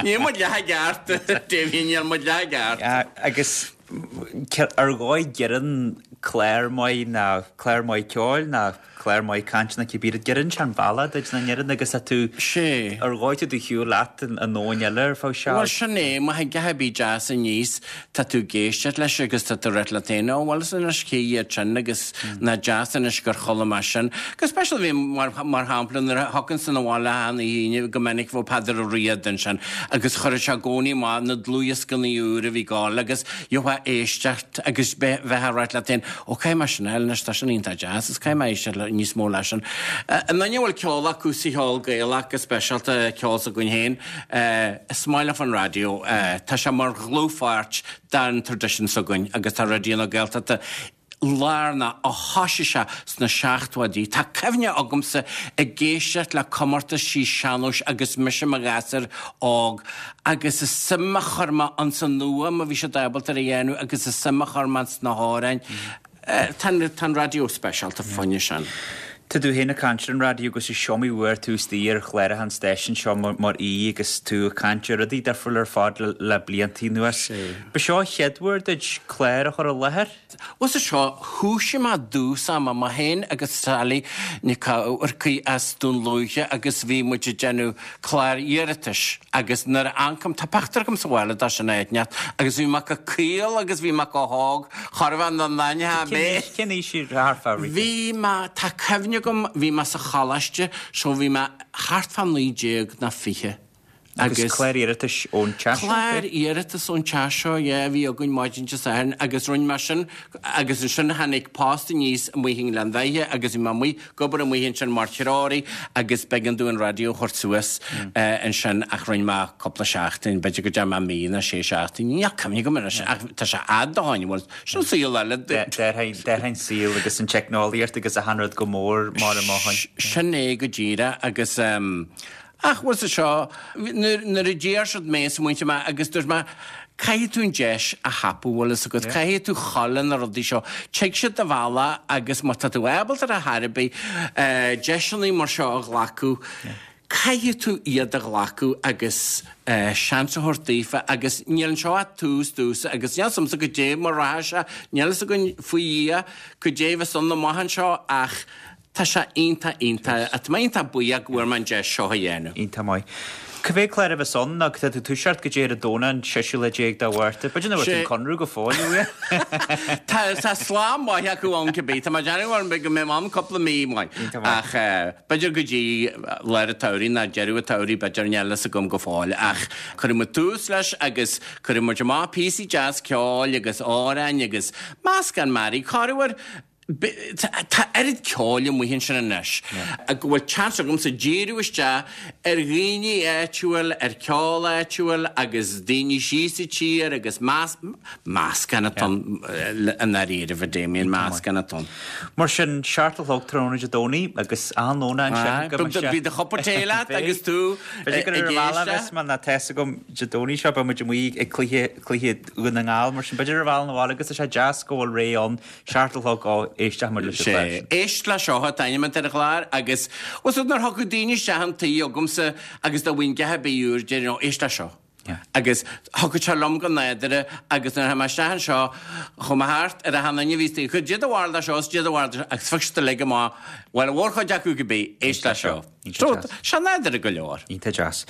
níl muid leath i gceart, Damien, níl muid leath i gceart. Agus ar dhóigh geireann clár maith ná clár maith ceoil ná clár maith cainte ná cibé rud, geireann sé an bealach duit na ndeireann agus tá tú Sé. ar dhóigh tú do shiúl leat i ndomhan eile ar feadh seal. Bhuel sin é, má thagann a dhath ar bith deas aníos, tá tú ag éisteacht leis agus tá tú ag ráit leat féin, ó bhuel is anois cé hiad sin agus nach deas anois gur chuala mé sin. Go speisialta bhí mar mar shampla nuair a thiocfainnse 'na bhaile achan Aoine go minic bheadh Peadar Ó Riada ansin agus chuireadh sé i gcónaí amach na dlúthdhioscannaí úr a bhí ag gabháil agus gheofá éisteacht agus bheith ag ráit leat féin, ó caithfidh mé sin a fháil anois, tá sin iontach deas is caithfidh mé éisteacht le níos mó leis sin. An duine a bhfuil ceol acu sa cheol Gaelach go speisialta, ceol s'againn féin, is maith leofa an raidió. Tá sé mar dhlúthpháirt den traidisiún s'againn agus tá Raidió na Gaeltachta lárnach ó thoisigh sé sna seachtóidí. Tá cuimhne agamsa ag éisteacht le comórtaisí sean-nóis agus mise i mo ghasúr óg agus an suim a chuir mé ins an fhuaim a bhí siad ábalta a dhéanamh agus an suim a chuir mé ins na hamhráin. Tá an raidió speisialta fá choinne sin. Tá tú féin ag caint ar an raidió agus is iomaí uair tú istigh ar chláracha an stáisiúin seo mar aoi agus tú ag caint ar rudaí difriúla ar fad le blianta anuas. Ba seo an chéad uair duit clár a chur i láthair? Bhuel sa seo, thúisigh mé i dtús ama, mé féin agus Sally Nic Eachmharcaigh as Dún Lúiche agus bhí muid ag déanamh clár iarratais agus nuair a amharcaim, tá pictiúr agam sa bhaile de sin áit inteacht agus bhí mé chomh caol agus bhí mé chomh hóg, cha raibh an aithne mé. Cén aois í thart fá Rita? Bhí mé, tá cuimhne agam, bhí mé sa choláiste so bhí mé thart fá naoi déag ná fiche Agus agus. clár iarratais ón teach seo? Clár iarratais ón teach seo, yeah, a bhí againn maidin Dé Sathairn agus rinne mé sin agus ansin tháinig post aníos amuigh i nGleann Bheithe agus bhí mé amuigh ag obair amuigh ansin mar threoraí agus b'éigean domh an raidió a thabhairt suas ansin ach rinne mé cúpla seachtain, b'fhéidir go dtearn mé mí nó sé seachtaine, níl cuimhne agam anois ach tá sé fhada ó shin, bhuel, sin saol eile. D'athraigh an saol agus an teicneolaíocht agus achan rud go mór mar a mothain. Sin é go díreach agus ach bhuel sa seo, nuair a d'iarr siad mé, smaointigh mé agus dúirt mé, caithfidh tú an deis a thapú, bhfuil fhios agat, caithfidh tú dhul le na rudaí seo. Tig siad do bhealach agus má tá tú ábalta ar chor ar bith deiseanna mar seo a ghlacadh, caithfidh tú iad a ghlacadh agus seans a thabhairt daofa agus níl anseo ach tús domhsa agus níl 'fhios a'msa goidé mar rachaidh sé, níl 'fhios againn faoi Dhia goidé a bheas ann amach anseo ach tá sé iontach iontach, tá mé iontach buíoch go bhfuair mé an deis seo a dhéanamh. Iontach maith. Cá mhéad clár a bheas ann nó tá tú toiseacht goidé ar an Domhnach an séú lá déag de Mhárta. B'fhéidir nach bhfuil an conradh go fóill uaidh. Tá tá slám maith acu ann cibé. Tá mé ag déanamh orm go mbeidh mé ann cúpla mí maith. Ach b'fhéidir go dtí lár an tsamhraidh nó deireadh an tsamhraidh b'fhéidir níl fhios agam go fóill. Ach cuirfidh muid tús leis agus cuirfidh muid amach píosaí deas ceoil agus amhráin agus meascán mearaí. Corruair Tá oiread ceoil amuigh ansin anois go bhfuil seans agamsa díriú isteach ar dhaoine áitiúil, ar cheol áitiúil agus daoine síos sa tír agus meascán atá ann i ndáiríribh, a Damien, meascán atá ann. Mar sin, seacht a chlog tráthnóna Dé Domhnaigh agus achan Domhnach ansin go mbeidh sé. Beidh do chupa tae leat agus tú ag B'fhéidir gur ar an bhealach a bheas mé ná tá fhios agam Dé Domhnaigh seo beidh muid amuigh ag cluiche, cluiche Dhún na nGall mar sin b'fhéidir ar an bhealach 'na bhaile agus tá sé deas go bhfuil ré ann seacht a chlog ó éisteach muid leis an Sé. chlár sin. Éist le seo atá ainm ar an chlár agus bhfuil 's agat nuair thiocfadh daoine isteach an tí agamsa agus dá bhfaighinn a dhath ar bith úr déarfainn ó éist le seo. Agus thiocfadh sé liom go nádúrtha agus nuair a tháinig mé isteach anseo, chuaigh mé thart ar achan duine a bhí istigh, cad é do bharúil de seo is cad é do bharúil de seo agus phioc siad uilig amach, bhuel, an mhórchuid acu cibé, éist leis seo. So, tá sé nádúrtha go leor. Iontach deas.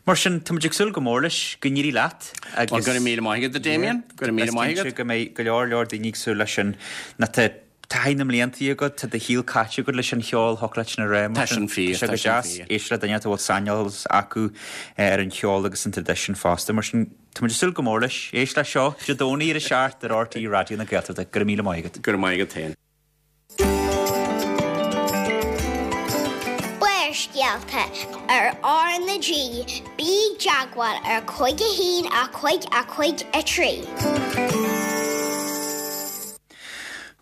Mar sin, tá muid ag súil go mór leis, go n-éirí leat agus. Bhuel, go raibh míle maith agat, a Damien. Go raibh míle maith agat. Is cinnte go mbeidh go leor leor daoine ag súil leis sin. Nó tá taithí na mblianta agat, tá do shaol caite agat leis an cheol, thiocfadh leat sin a rá. Tá sin fíor, tá sé go deas éisteacht le duine a bhfuil saineolas acu ar an cheol agus an traidisiún fosta. Mar sin, tá muid ag súil go mór leis. Éist leis seo, Dé Domhnaigh ar a seacht ar RTÉ Raidió na Gaeltachta. Go raibh míle maith agat. Go raibh maith agat féin. Barrscéalta ar R na G, bí i dteagmháil ar cúig a haon a cúig a cúig a trí.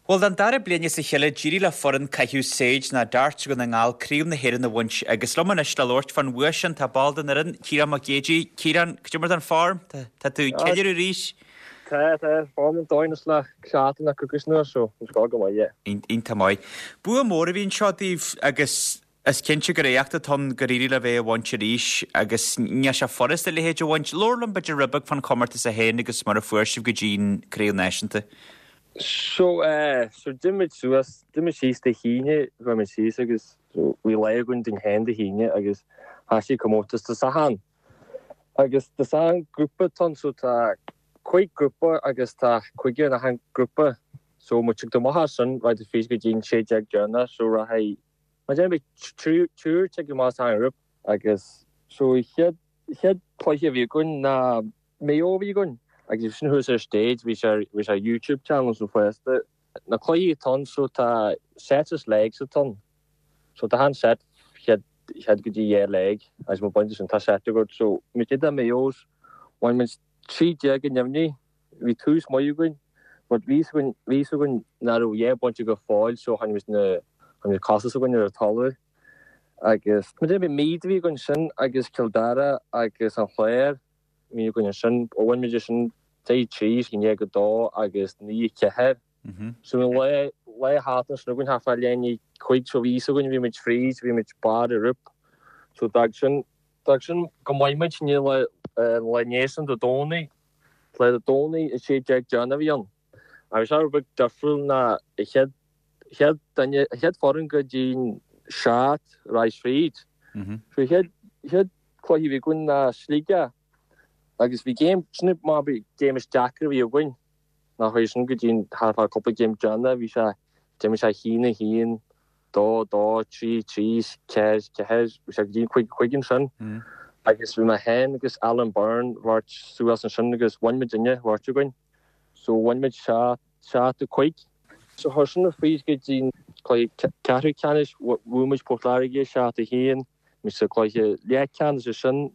Bhuel, don dara bliain as a chéile, d'éirigh le foireann caitheamh saighid nó darts Dhún na nGall Craobh na hÉireann a bhaint agus liom anois le labhairt fán bhua sin tá ball den fhoireann, Ciarán Mac Géidigh. Ciarán, cad é mar atá an form? Tá tú ag ceiliúradh arís? Tá, tá, form an dóigh anois le seachtain nó coicís anuas so tá go maith, yeah. Iontach maith. Bua mór a bhí anseo daoibh agus is cinnte gur éacht atá ann gur éirigh libh é a bhaint arís agus níl sé furast a leithéid a bhaint. Labhair liom b'fhéidir rud beag fán chomórtas é féin agus mar a fuair sibh go dtí an Craobh Náisiúnta. So eh so d'imigh muid suas, d'imigh muid síos Dé hAoine, chuaigh muid síos agus so bhí lá againn dúinn féin Dé hAoine agus thoisigh comórtas Dé Sathairn. Agus Dé Sathairn grúpa atá ann so tá cúig grúpa agus tá cúigear in achan grúpa so muid ag dul amach as sin raghaidh tú fríd go dtí an sé déag deireanach so rachaidh mar déarfainn beidh triúr ag dul amach as achan ghrúpa agus so chéad chéad cluiche a bhí againn ná Maigh Eo a bhí againn agus bhí sin thuas ar stage, bhí sé ar, bhí sé ar YouTube channel so fosta. Na cluichí atá ann so tá sets is legs atá ann. So tá achan set chéad, chéad go dtí dhá leg agus má bhain tú sin tá set agat. So muid idir Maigh Eo's, bhain muid trí déag i ndeimhní, bhí tús maith againn but bhí fhios againn, bhí fhios againn nach raibh dhá phointe go fóill so tháinig muid na, tháinig na cosa s'againn ar an talamh agus muid bhí Meath a bhí againn sin agus Cill Dara agus an Chlár. Bhí againn ansin, ó bhain muid sin deich trí, a haon déag a dó agus naoi a ceathair. So bhí lá, lá thart ansin againn thart fá leath i ndiaidh a cúig so bhí fhios againn bhí muid fríd, bhí muid barr an ghrúpa. So d'fhág sin, d'fhág sin go maith muid ní lá, lá inné sin Dé Domhnaigh, lá Dé Domhnaigh a sé déag deireanach a bhí ann. Agus bhí sé rud beag difriúil ná a chéad, chéad duine, a chéad foireann go dtí an seacht raghaidh fríd. So a chéad, chéad cluiche a bhí againn ná Sligeach agus bhí game, sin mar bhí game is deacra a bhí againn ná chuaigh sin go dtí an thart fá cúpla game deireanach bhí sé d'imir sé haon a haon, dó, dó, trí, trí, ceathair, ceathair, bhí sé go dtí an cúig, cúig ansin agus bhí mé féin agus Alan Byrne bheirt suas ansin agus bhain muidinne bheirt againn so bhain muid seacht, seacht a cúig. So chuir sin fríd go dtí an cluiche ceathrú ceannais, bhuaigh muid Port Láirge seacht a haon, Bhí sa gcluiche leathcheannais ansin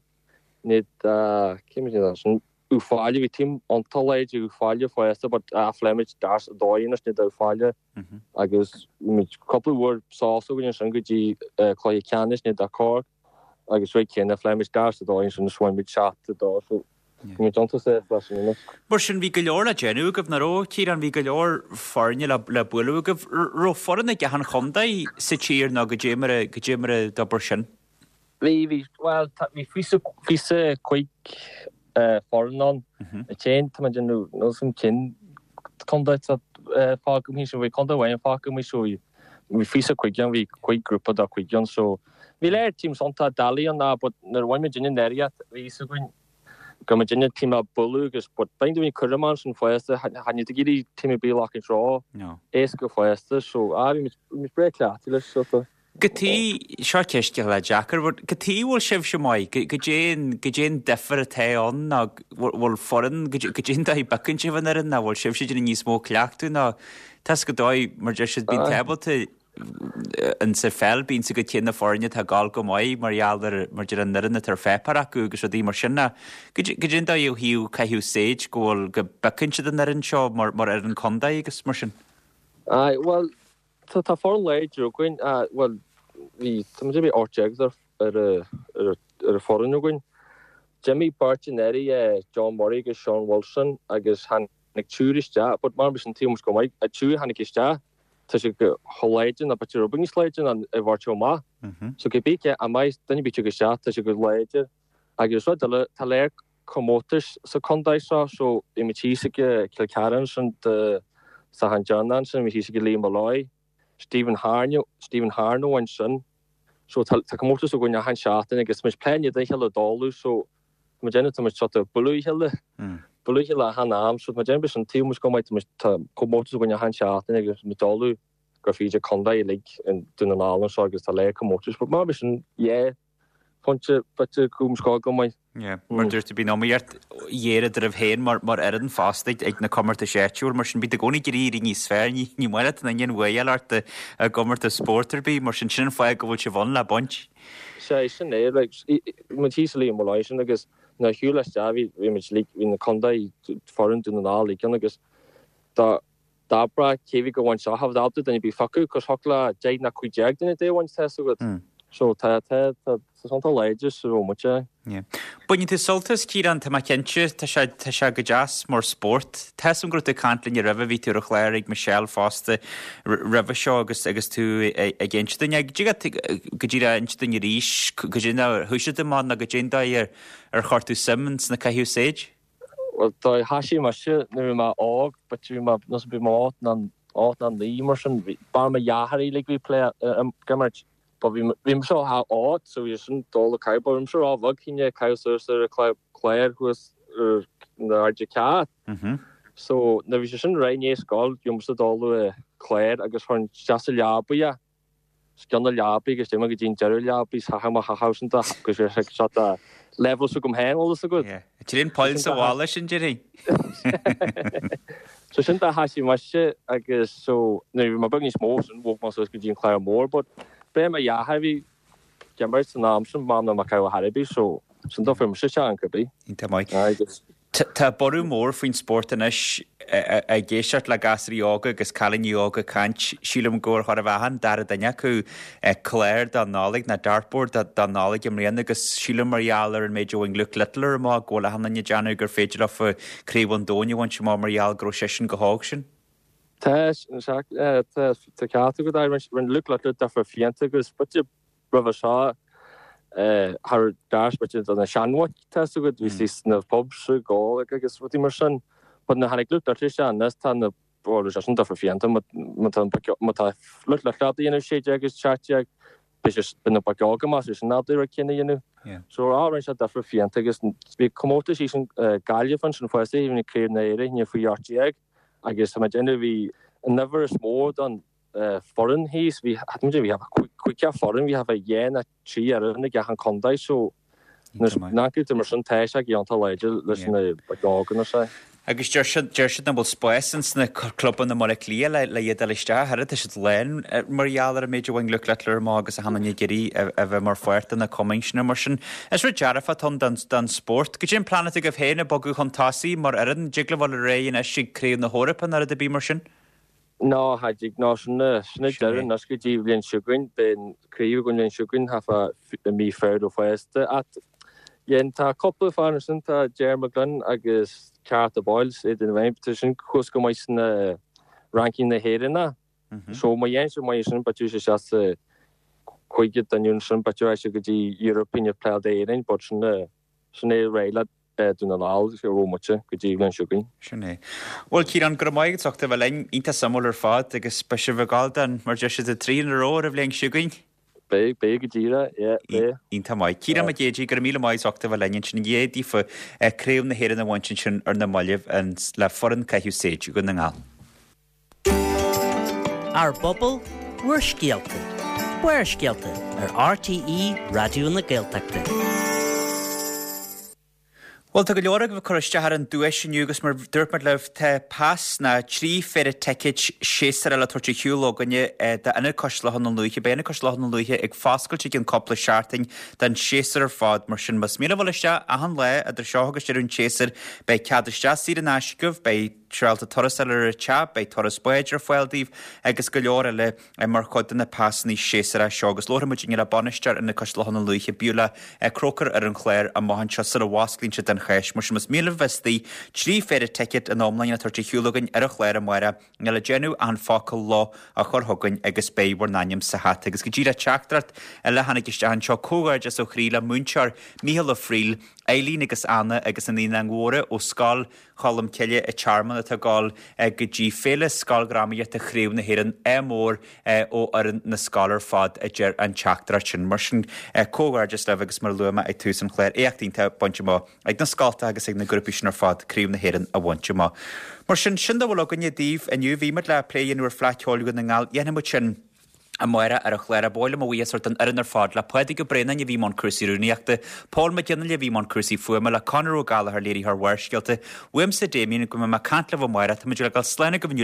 ní cé muid ansin Uíbh Fhailí bhí team iontach láidir Uíbh Fhailí fosta but fuair muid darts a dó anois ní Uíbh Fhailí agus bhí muid cúpla uair sásta againn ansin go dtí cluiche ceannais ní Cork agus rud céanna fuair muid darts a dó ansin is bhain muid seacht a dó so bhí muid iontach sásta leis sin anois. Mar sin bhí go leor le déanamh agaibh, nach raibh, Ciarán? Bhí go leor foirne le le bualadh agaibh. Raibh foireann ag achan chontae sa tír nó goidé mar a goidé mar a d'obair sin? Bhí, bhí, bhuel tá, bhí fiche, fiche cúig foireann ann. An t-aon, tá mé ag déanamh, níl 'fhios a'm cén contae atá fágtha amuigh so bhí contae amháin fágtha amuigh so bhí, bhí fiche cúig ann, bhí cúig grúpa de cúig ann so bhí léir teams iontach doiligh ann but nuair a bhain muid an áiríocht bhí fhios againn go mbeadh duine team á bualadh agus but bíonn daoine cúram ansin fosta chan iad ag iarraidh team ar bith a ghlacaint ró éasca fosta so ah bhí muid bhí muid breá cleachtaithe leis so tá. Cad chuige, seo ceist cineál deacair, but cad chuige a bhfuil sibhse maith, goidé an goidé an difear atá ann nó bhfuil foireann goidé an dóigh a bpiocann sibh an fhoireann nó bhfuil sibhse ag déanamh níos mó cleachtadh nó tá's agat an dóigh mar deir siad bíonn tú ábalta in sa pheil bíonn 's agat cé na foirne atá ag gabháil go maith mar gheall ar mar deir an fhoireann atá ar pháipéar acu agus rudaí mar sin ná goidé an dóigh ó thaobh caitheamh saighead go bhfuil go bpiocann siad an fhoireann seo mar mar fhoireann contae agus mar sin. Aye, bhuel, tá tá foireann láidir againn, bhuel, bhí, tá muid bhí ocht déag ar ar ar ar an foireann againn. D'imigh beirt anuraidh, John Murray agus Sean Wilson agus tháinig triúr isteach, but mar sin taobh go maith, an triúr a tháinig isteach, tá sé go chomh láidir nó b'fhéidir rud beag níos láidir ná an bheirt chomh maith. So cibé cé a mbeidh duine ar bith ag isteach tá sé go láidir. Agus rud eile, tá léir comórtais sa contae seo so bhí muid thíos ag Cill Chartha ansin Dé Sathairn deireanach ansin, bhí thíos ag Liam Molloy, Stephen Harno, Stephen Harno ansin. So tá tá comórtas againn achan seachtain agus tá muid plé in éadan a chéile d'ullmhú so tá muid déanamh tá muid sort of bualadh a chéile, bualadh a chéile achan am so tá muid déanamh b'shin taobh muid go maith tá muid tá comórtas againn achan seachtain agus muid d'ullmhú gur féidir contae uilig in Dún na nGall anseo agus tá lear comórtais but mar b'shin yeah pointe b'fhéidir go scoil go maith. Yeah, mar dúirt tú bíonn iomaíocht ghéar eadraibh féin mar mar fhoireann fosta ag ag na comórtais áitiúil mar sin bíonn i gcónaí ag iarraidh éirí níos fearr ní ní maith leat an ingean bhuaidh ort i i gcomórtas spóirt ar bith mar sin sin an fáth go bhfuil sibh ann le baint. Sea sin é like muid thíos i Liam Molloy sin agus nuair a shiúil isteach bhí bhí muid like bhí na contae foireann Dún na nGall uilig ann agus dá D'abrá cé bhí go bhaint seo, tha ábalta duine ar bith phiocadh, cos thiocfadh le deich ná cúig déag duine dé bhaint, tá's agat. So tá, tá, tá, tá san tá láidir sa raibh muid é. Yeah. Baineann tú sult as, Ciarán, tá mé cinnte, tá sé, tá sé go deas mar spórt. Tá 'fhios a'm go raibh tú ag caint linn roimhe, bhí tú ar an chlár ag Michelle fosta roimhe seo agus, agus tú ag inse dúinn, ag, go díreach inse dúinn arís, goidé ar thoisigh tú amach nó goidé an dóigh ar, ar chuir tú suim sna caitheamh séid? Bhuel, do thoisigh mise nuair a bhí mé óg, but bhí mé, nós bhí mé ocht nó ocht nó naoi mar sin, bhí, b'fhearr mo dheartháir uilig bhí plé ag imirt, but bhí, bhí mise óg so bhí sin dul ag caitheamh, but bhí mise ró-bheag chun é caitheamh suas ar an clár, clár thuas ar na airde ceart. So nuair bhí sé sin réidh i ndiaidh scoil, bhí mise dul le clár agus chuir isteach sa leabaidh é. Os cionn na leabaidh agus d'imigh go dtí an deireadh leabaidh is chaith mo chaitheamh sin de agus bhí sé seo de level s'agam féin bhfuil fhios agat. Yeah. Trín poill sa bhalla sin déarfainn. So sin de thoisigh mise agus so nuair a bhí mé beag níos mó sin bhog mé suas go dtí an clár mór but b'é mo dheartháir a bhí ag imirt san am sin m'am ná mé caitheamh ar bith so sin dó fuair mise isteach an cibé. Iontach maith. Agus Tá borradh mór faoin spórt anois. Ag éisteacht le gasraí óga agus cailíní óga ag caint, sílim gur chóir a bheith achan dara duine acu clár don Nollaig nó dartboard don Nollaig i mbliana agus sílim mar gheall ar an méid a bhain Luke Littler amach go bhfuil achan duine ag déanamh gur féidir leofa Craobh an Domhain a bhaint amach mar gheall go raibh seisean chomh hóg sin. Tá, tá ceart agat. Rinne Luke Littler difear fiánta agus b'fhéidir roimhe seo thar gcás b'fhéidir do na seanbhoic tá 'fhios agat bhí sí sna pubs ag ól agus rudaí mar sin but nuair a tháinig Luke Littler isteach anois tá na bhuel sé sin difear fiánta má tá má tá Luke Littler ábalta a dhéanamh sé déag agus seacht déag beidh sé beidh na boic óga más é sin ábalta rud céanna a dhéanamh. So á rinne sé difear fiánta agus bhí comórtas thíos in Gaillimh ansin fosta bhí na Craobh na hÉireann faoi ocht déag agus tá mé ag déanamh bhí an uimhir is mó don foireann thíos, bhí, bhí cúig foireann, bhí thart fá dheich nó trí fhoireann ag achan contae so nuair a mar sin tá sé iontach láidir leis na boic óga anois é. Agus deir siad, deir siad nach bhfuil spás ins na clubanna i mBaile Átha Cliath le, le iad a fháil isteach, oiread, tá siad lán mar gheall ar an méid a bhain Luke Littler amach agus achan duine ag iarraidh a bheith mar pháirt de na cumainn sin mar sin. Is rud dearfach atá ann don, don spórt. Goidé an plean atá agaibh féin ag bogadh chun tosaigh mar fhoireann, dtig libh dul ar aghaidh anois ag Craobh na hEorpa nó rud ar bith mar sin? Ná, cha dtig, ná sin é, sin é deireadh anois go dtí bhliain seo chugainn, beidh an craobh againn bhliain seo chugainn, thart fá i mí Feabhra fosta. Ach dhein, tá cúpla fear ansin, tá Ger McGlynn agus Carter Boyles, Aidan Ryan, tá sin thuas go maith sna ranking na hÉireann. So má dhéanann siad maith ansin, b'fhéidir sé isteach sa cúigear duine ansin, b'fhéidir rachaidh siad go dtí European ag play d'Éirinn, but sin é, sin é réidh le Dún na nGall a raibh muid go dtí an bhliain seo chugainn. Sin é. Bhuel, Ciarán, go raibh maith agat as ucht a bheith linn. Iontach suimiúil ar fad agus beidh sibh ag gabháil don, mar deir siad, three in a row ar an bhliain seo chugainn. Beidh, beidh go díreach, yeah, beidh. Iontach maith. Ciarán Mac Géidigh, go raibh míle maith as ucht a bheith linn ansin. An gcéad daofa Craobh na hÉireann a bhaint ansin ar na mallaibh le foireann caitheamh séid Dhún na nGall. Ár bpobal, bhur scéalta. Barrscéalta ar RTÉ Raidió na Gaeltachta. Bhuel, tá go leor agaibh ag cur isteach ar an duais inniu agus mar dúirt muid libh, tá pas ná trí phéire ticéid séasúir le tabhairt ar shiúl againne d'Ionad Cois Locha na Lúiche. Beidh Ionad Cois Locha na Lúiche ag foscailt i gcionn cúpla seachtain don séasúr ar fad. Mar sin, más mian libh dul isteach achan lá idir seo agus deireadh an tséasúir, beidh cead isteach saor in aisce agaibh, beidh. sibh ábalta turas a fháil ar an teach, beidh turas báid ar fáil daoibh agus go leor eile mar chuid de na pasanna séasúrach seo. Agus labharfaidh muid inniu le bainisteoir Ionad Cois Locha na Lúiche, Beulah Croker ar an chlár amach anseo sula bhfosclaíonn siad don Cháisc. Mar sin más mian libh a bheith istigh, trí phéire ticéad ina iomláine le tabhairt ar shiúl againn ar an chlár amárach, níl le déanamh ach an focal 'lá' a chur chugainn agus beidh bhur n-ainm sa hata. Agus go díreach teachtaireacht eile a tháinig isteach anseo, comhghairdeas ó chroí le múinteoir Mícheál Ó Frighil, Eileen agus Anna agus na Naíonáin Mhóra ó Scoil Cholm Cille i Tearmann atá ag dul go dtí Féile Scoildhrámaíochta Chraobh na hÉireann, ádh mór ó fhoireann na scoile ar fad, a deir an teachtaireacht sin. Mar sin, comhghairdeas libh agus mar a luaigh mé ag tús an chláir, éacht iontach bainte amach ag na scoltacha agus ag na grúpaí sin ar fad Craobh na hÉireann a bhaint amach. Mar sin, sin dá bhfuil againne daoibh inniu. Bhí muid le plé a dhéanamh ar Fleadh Cheoil Dhún na nGall. Dhéanfaidh muid sin amárach ar an chlár. Ba mhaith liom mo bhuíochas a thabhairt don fhoireann ar fad, le Pádraig Ó Braonáin a bhí i mbun cúrsaí rúnaíochta, Pól Mac Fhionnghaile a bhí i mbun cúrsaí fuaime, le Conor Ó Gallchóir léiritheoir Bharrscéalta. Uaimse Damien, go mbeidh mé ag caint libh amárach. Tá muid le dul slán agaibh inniu.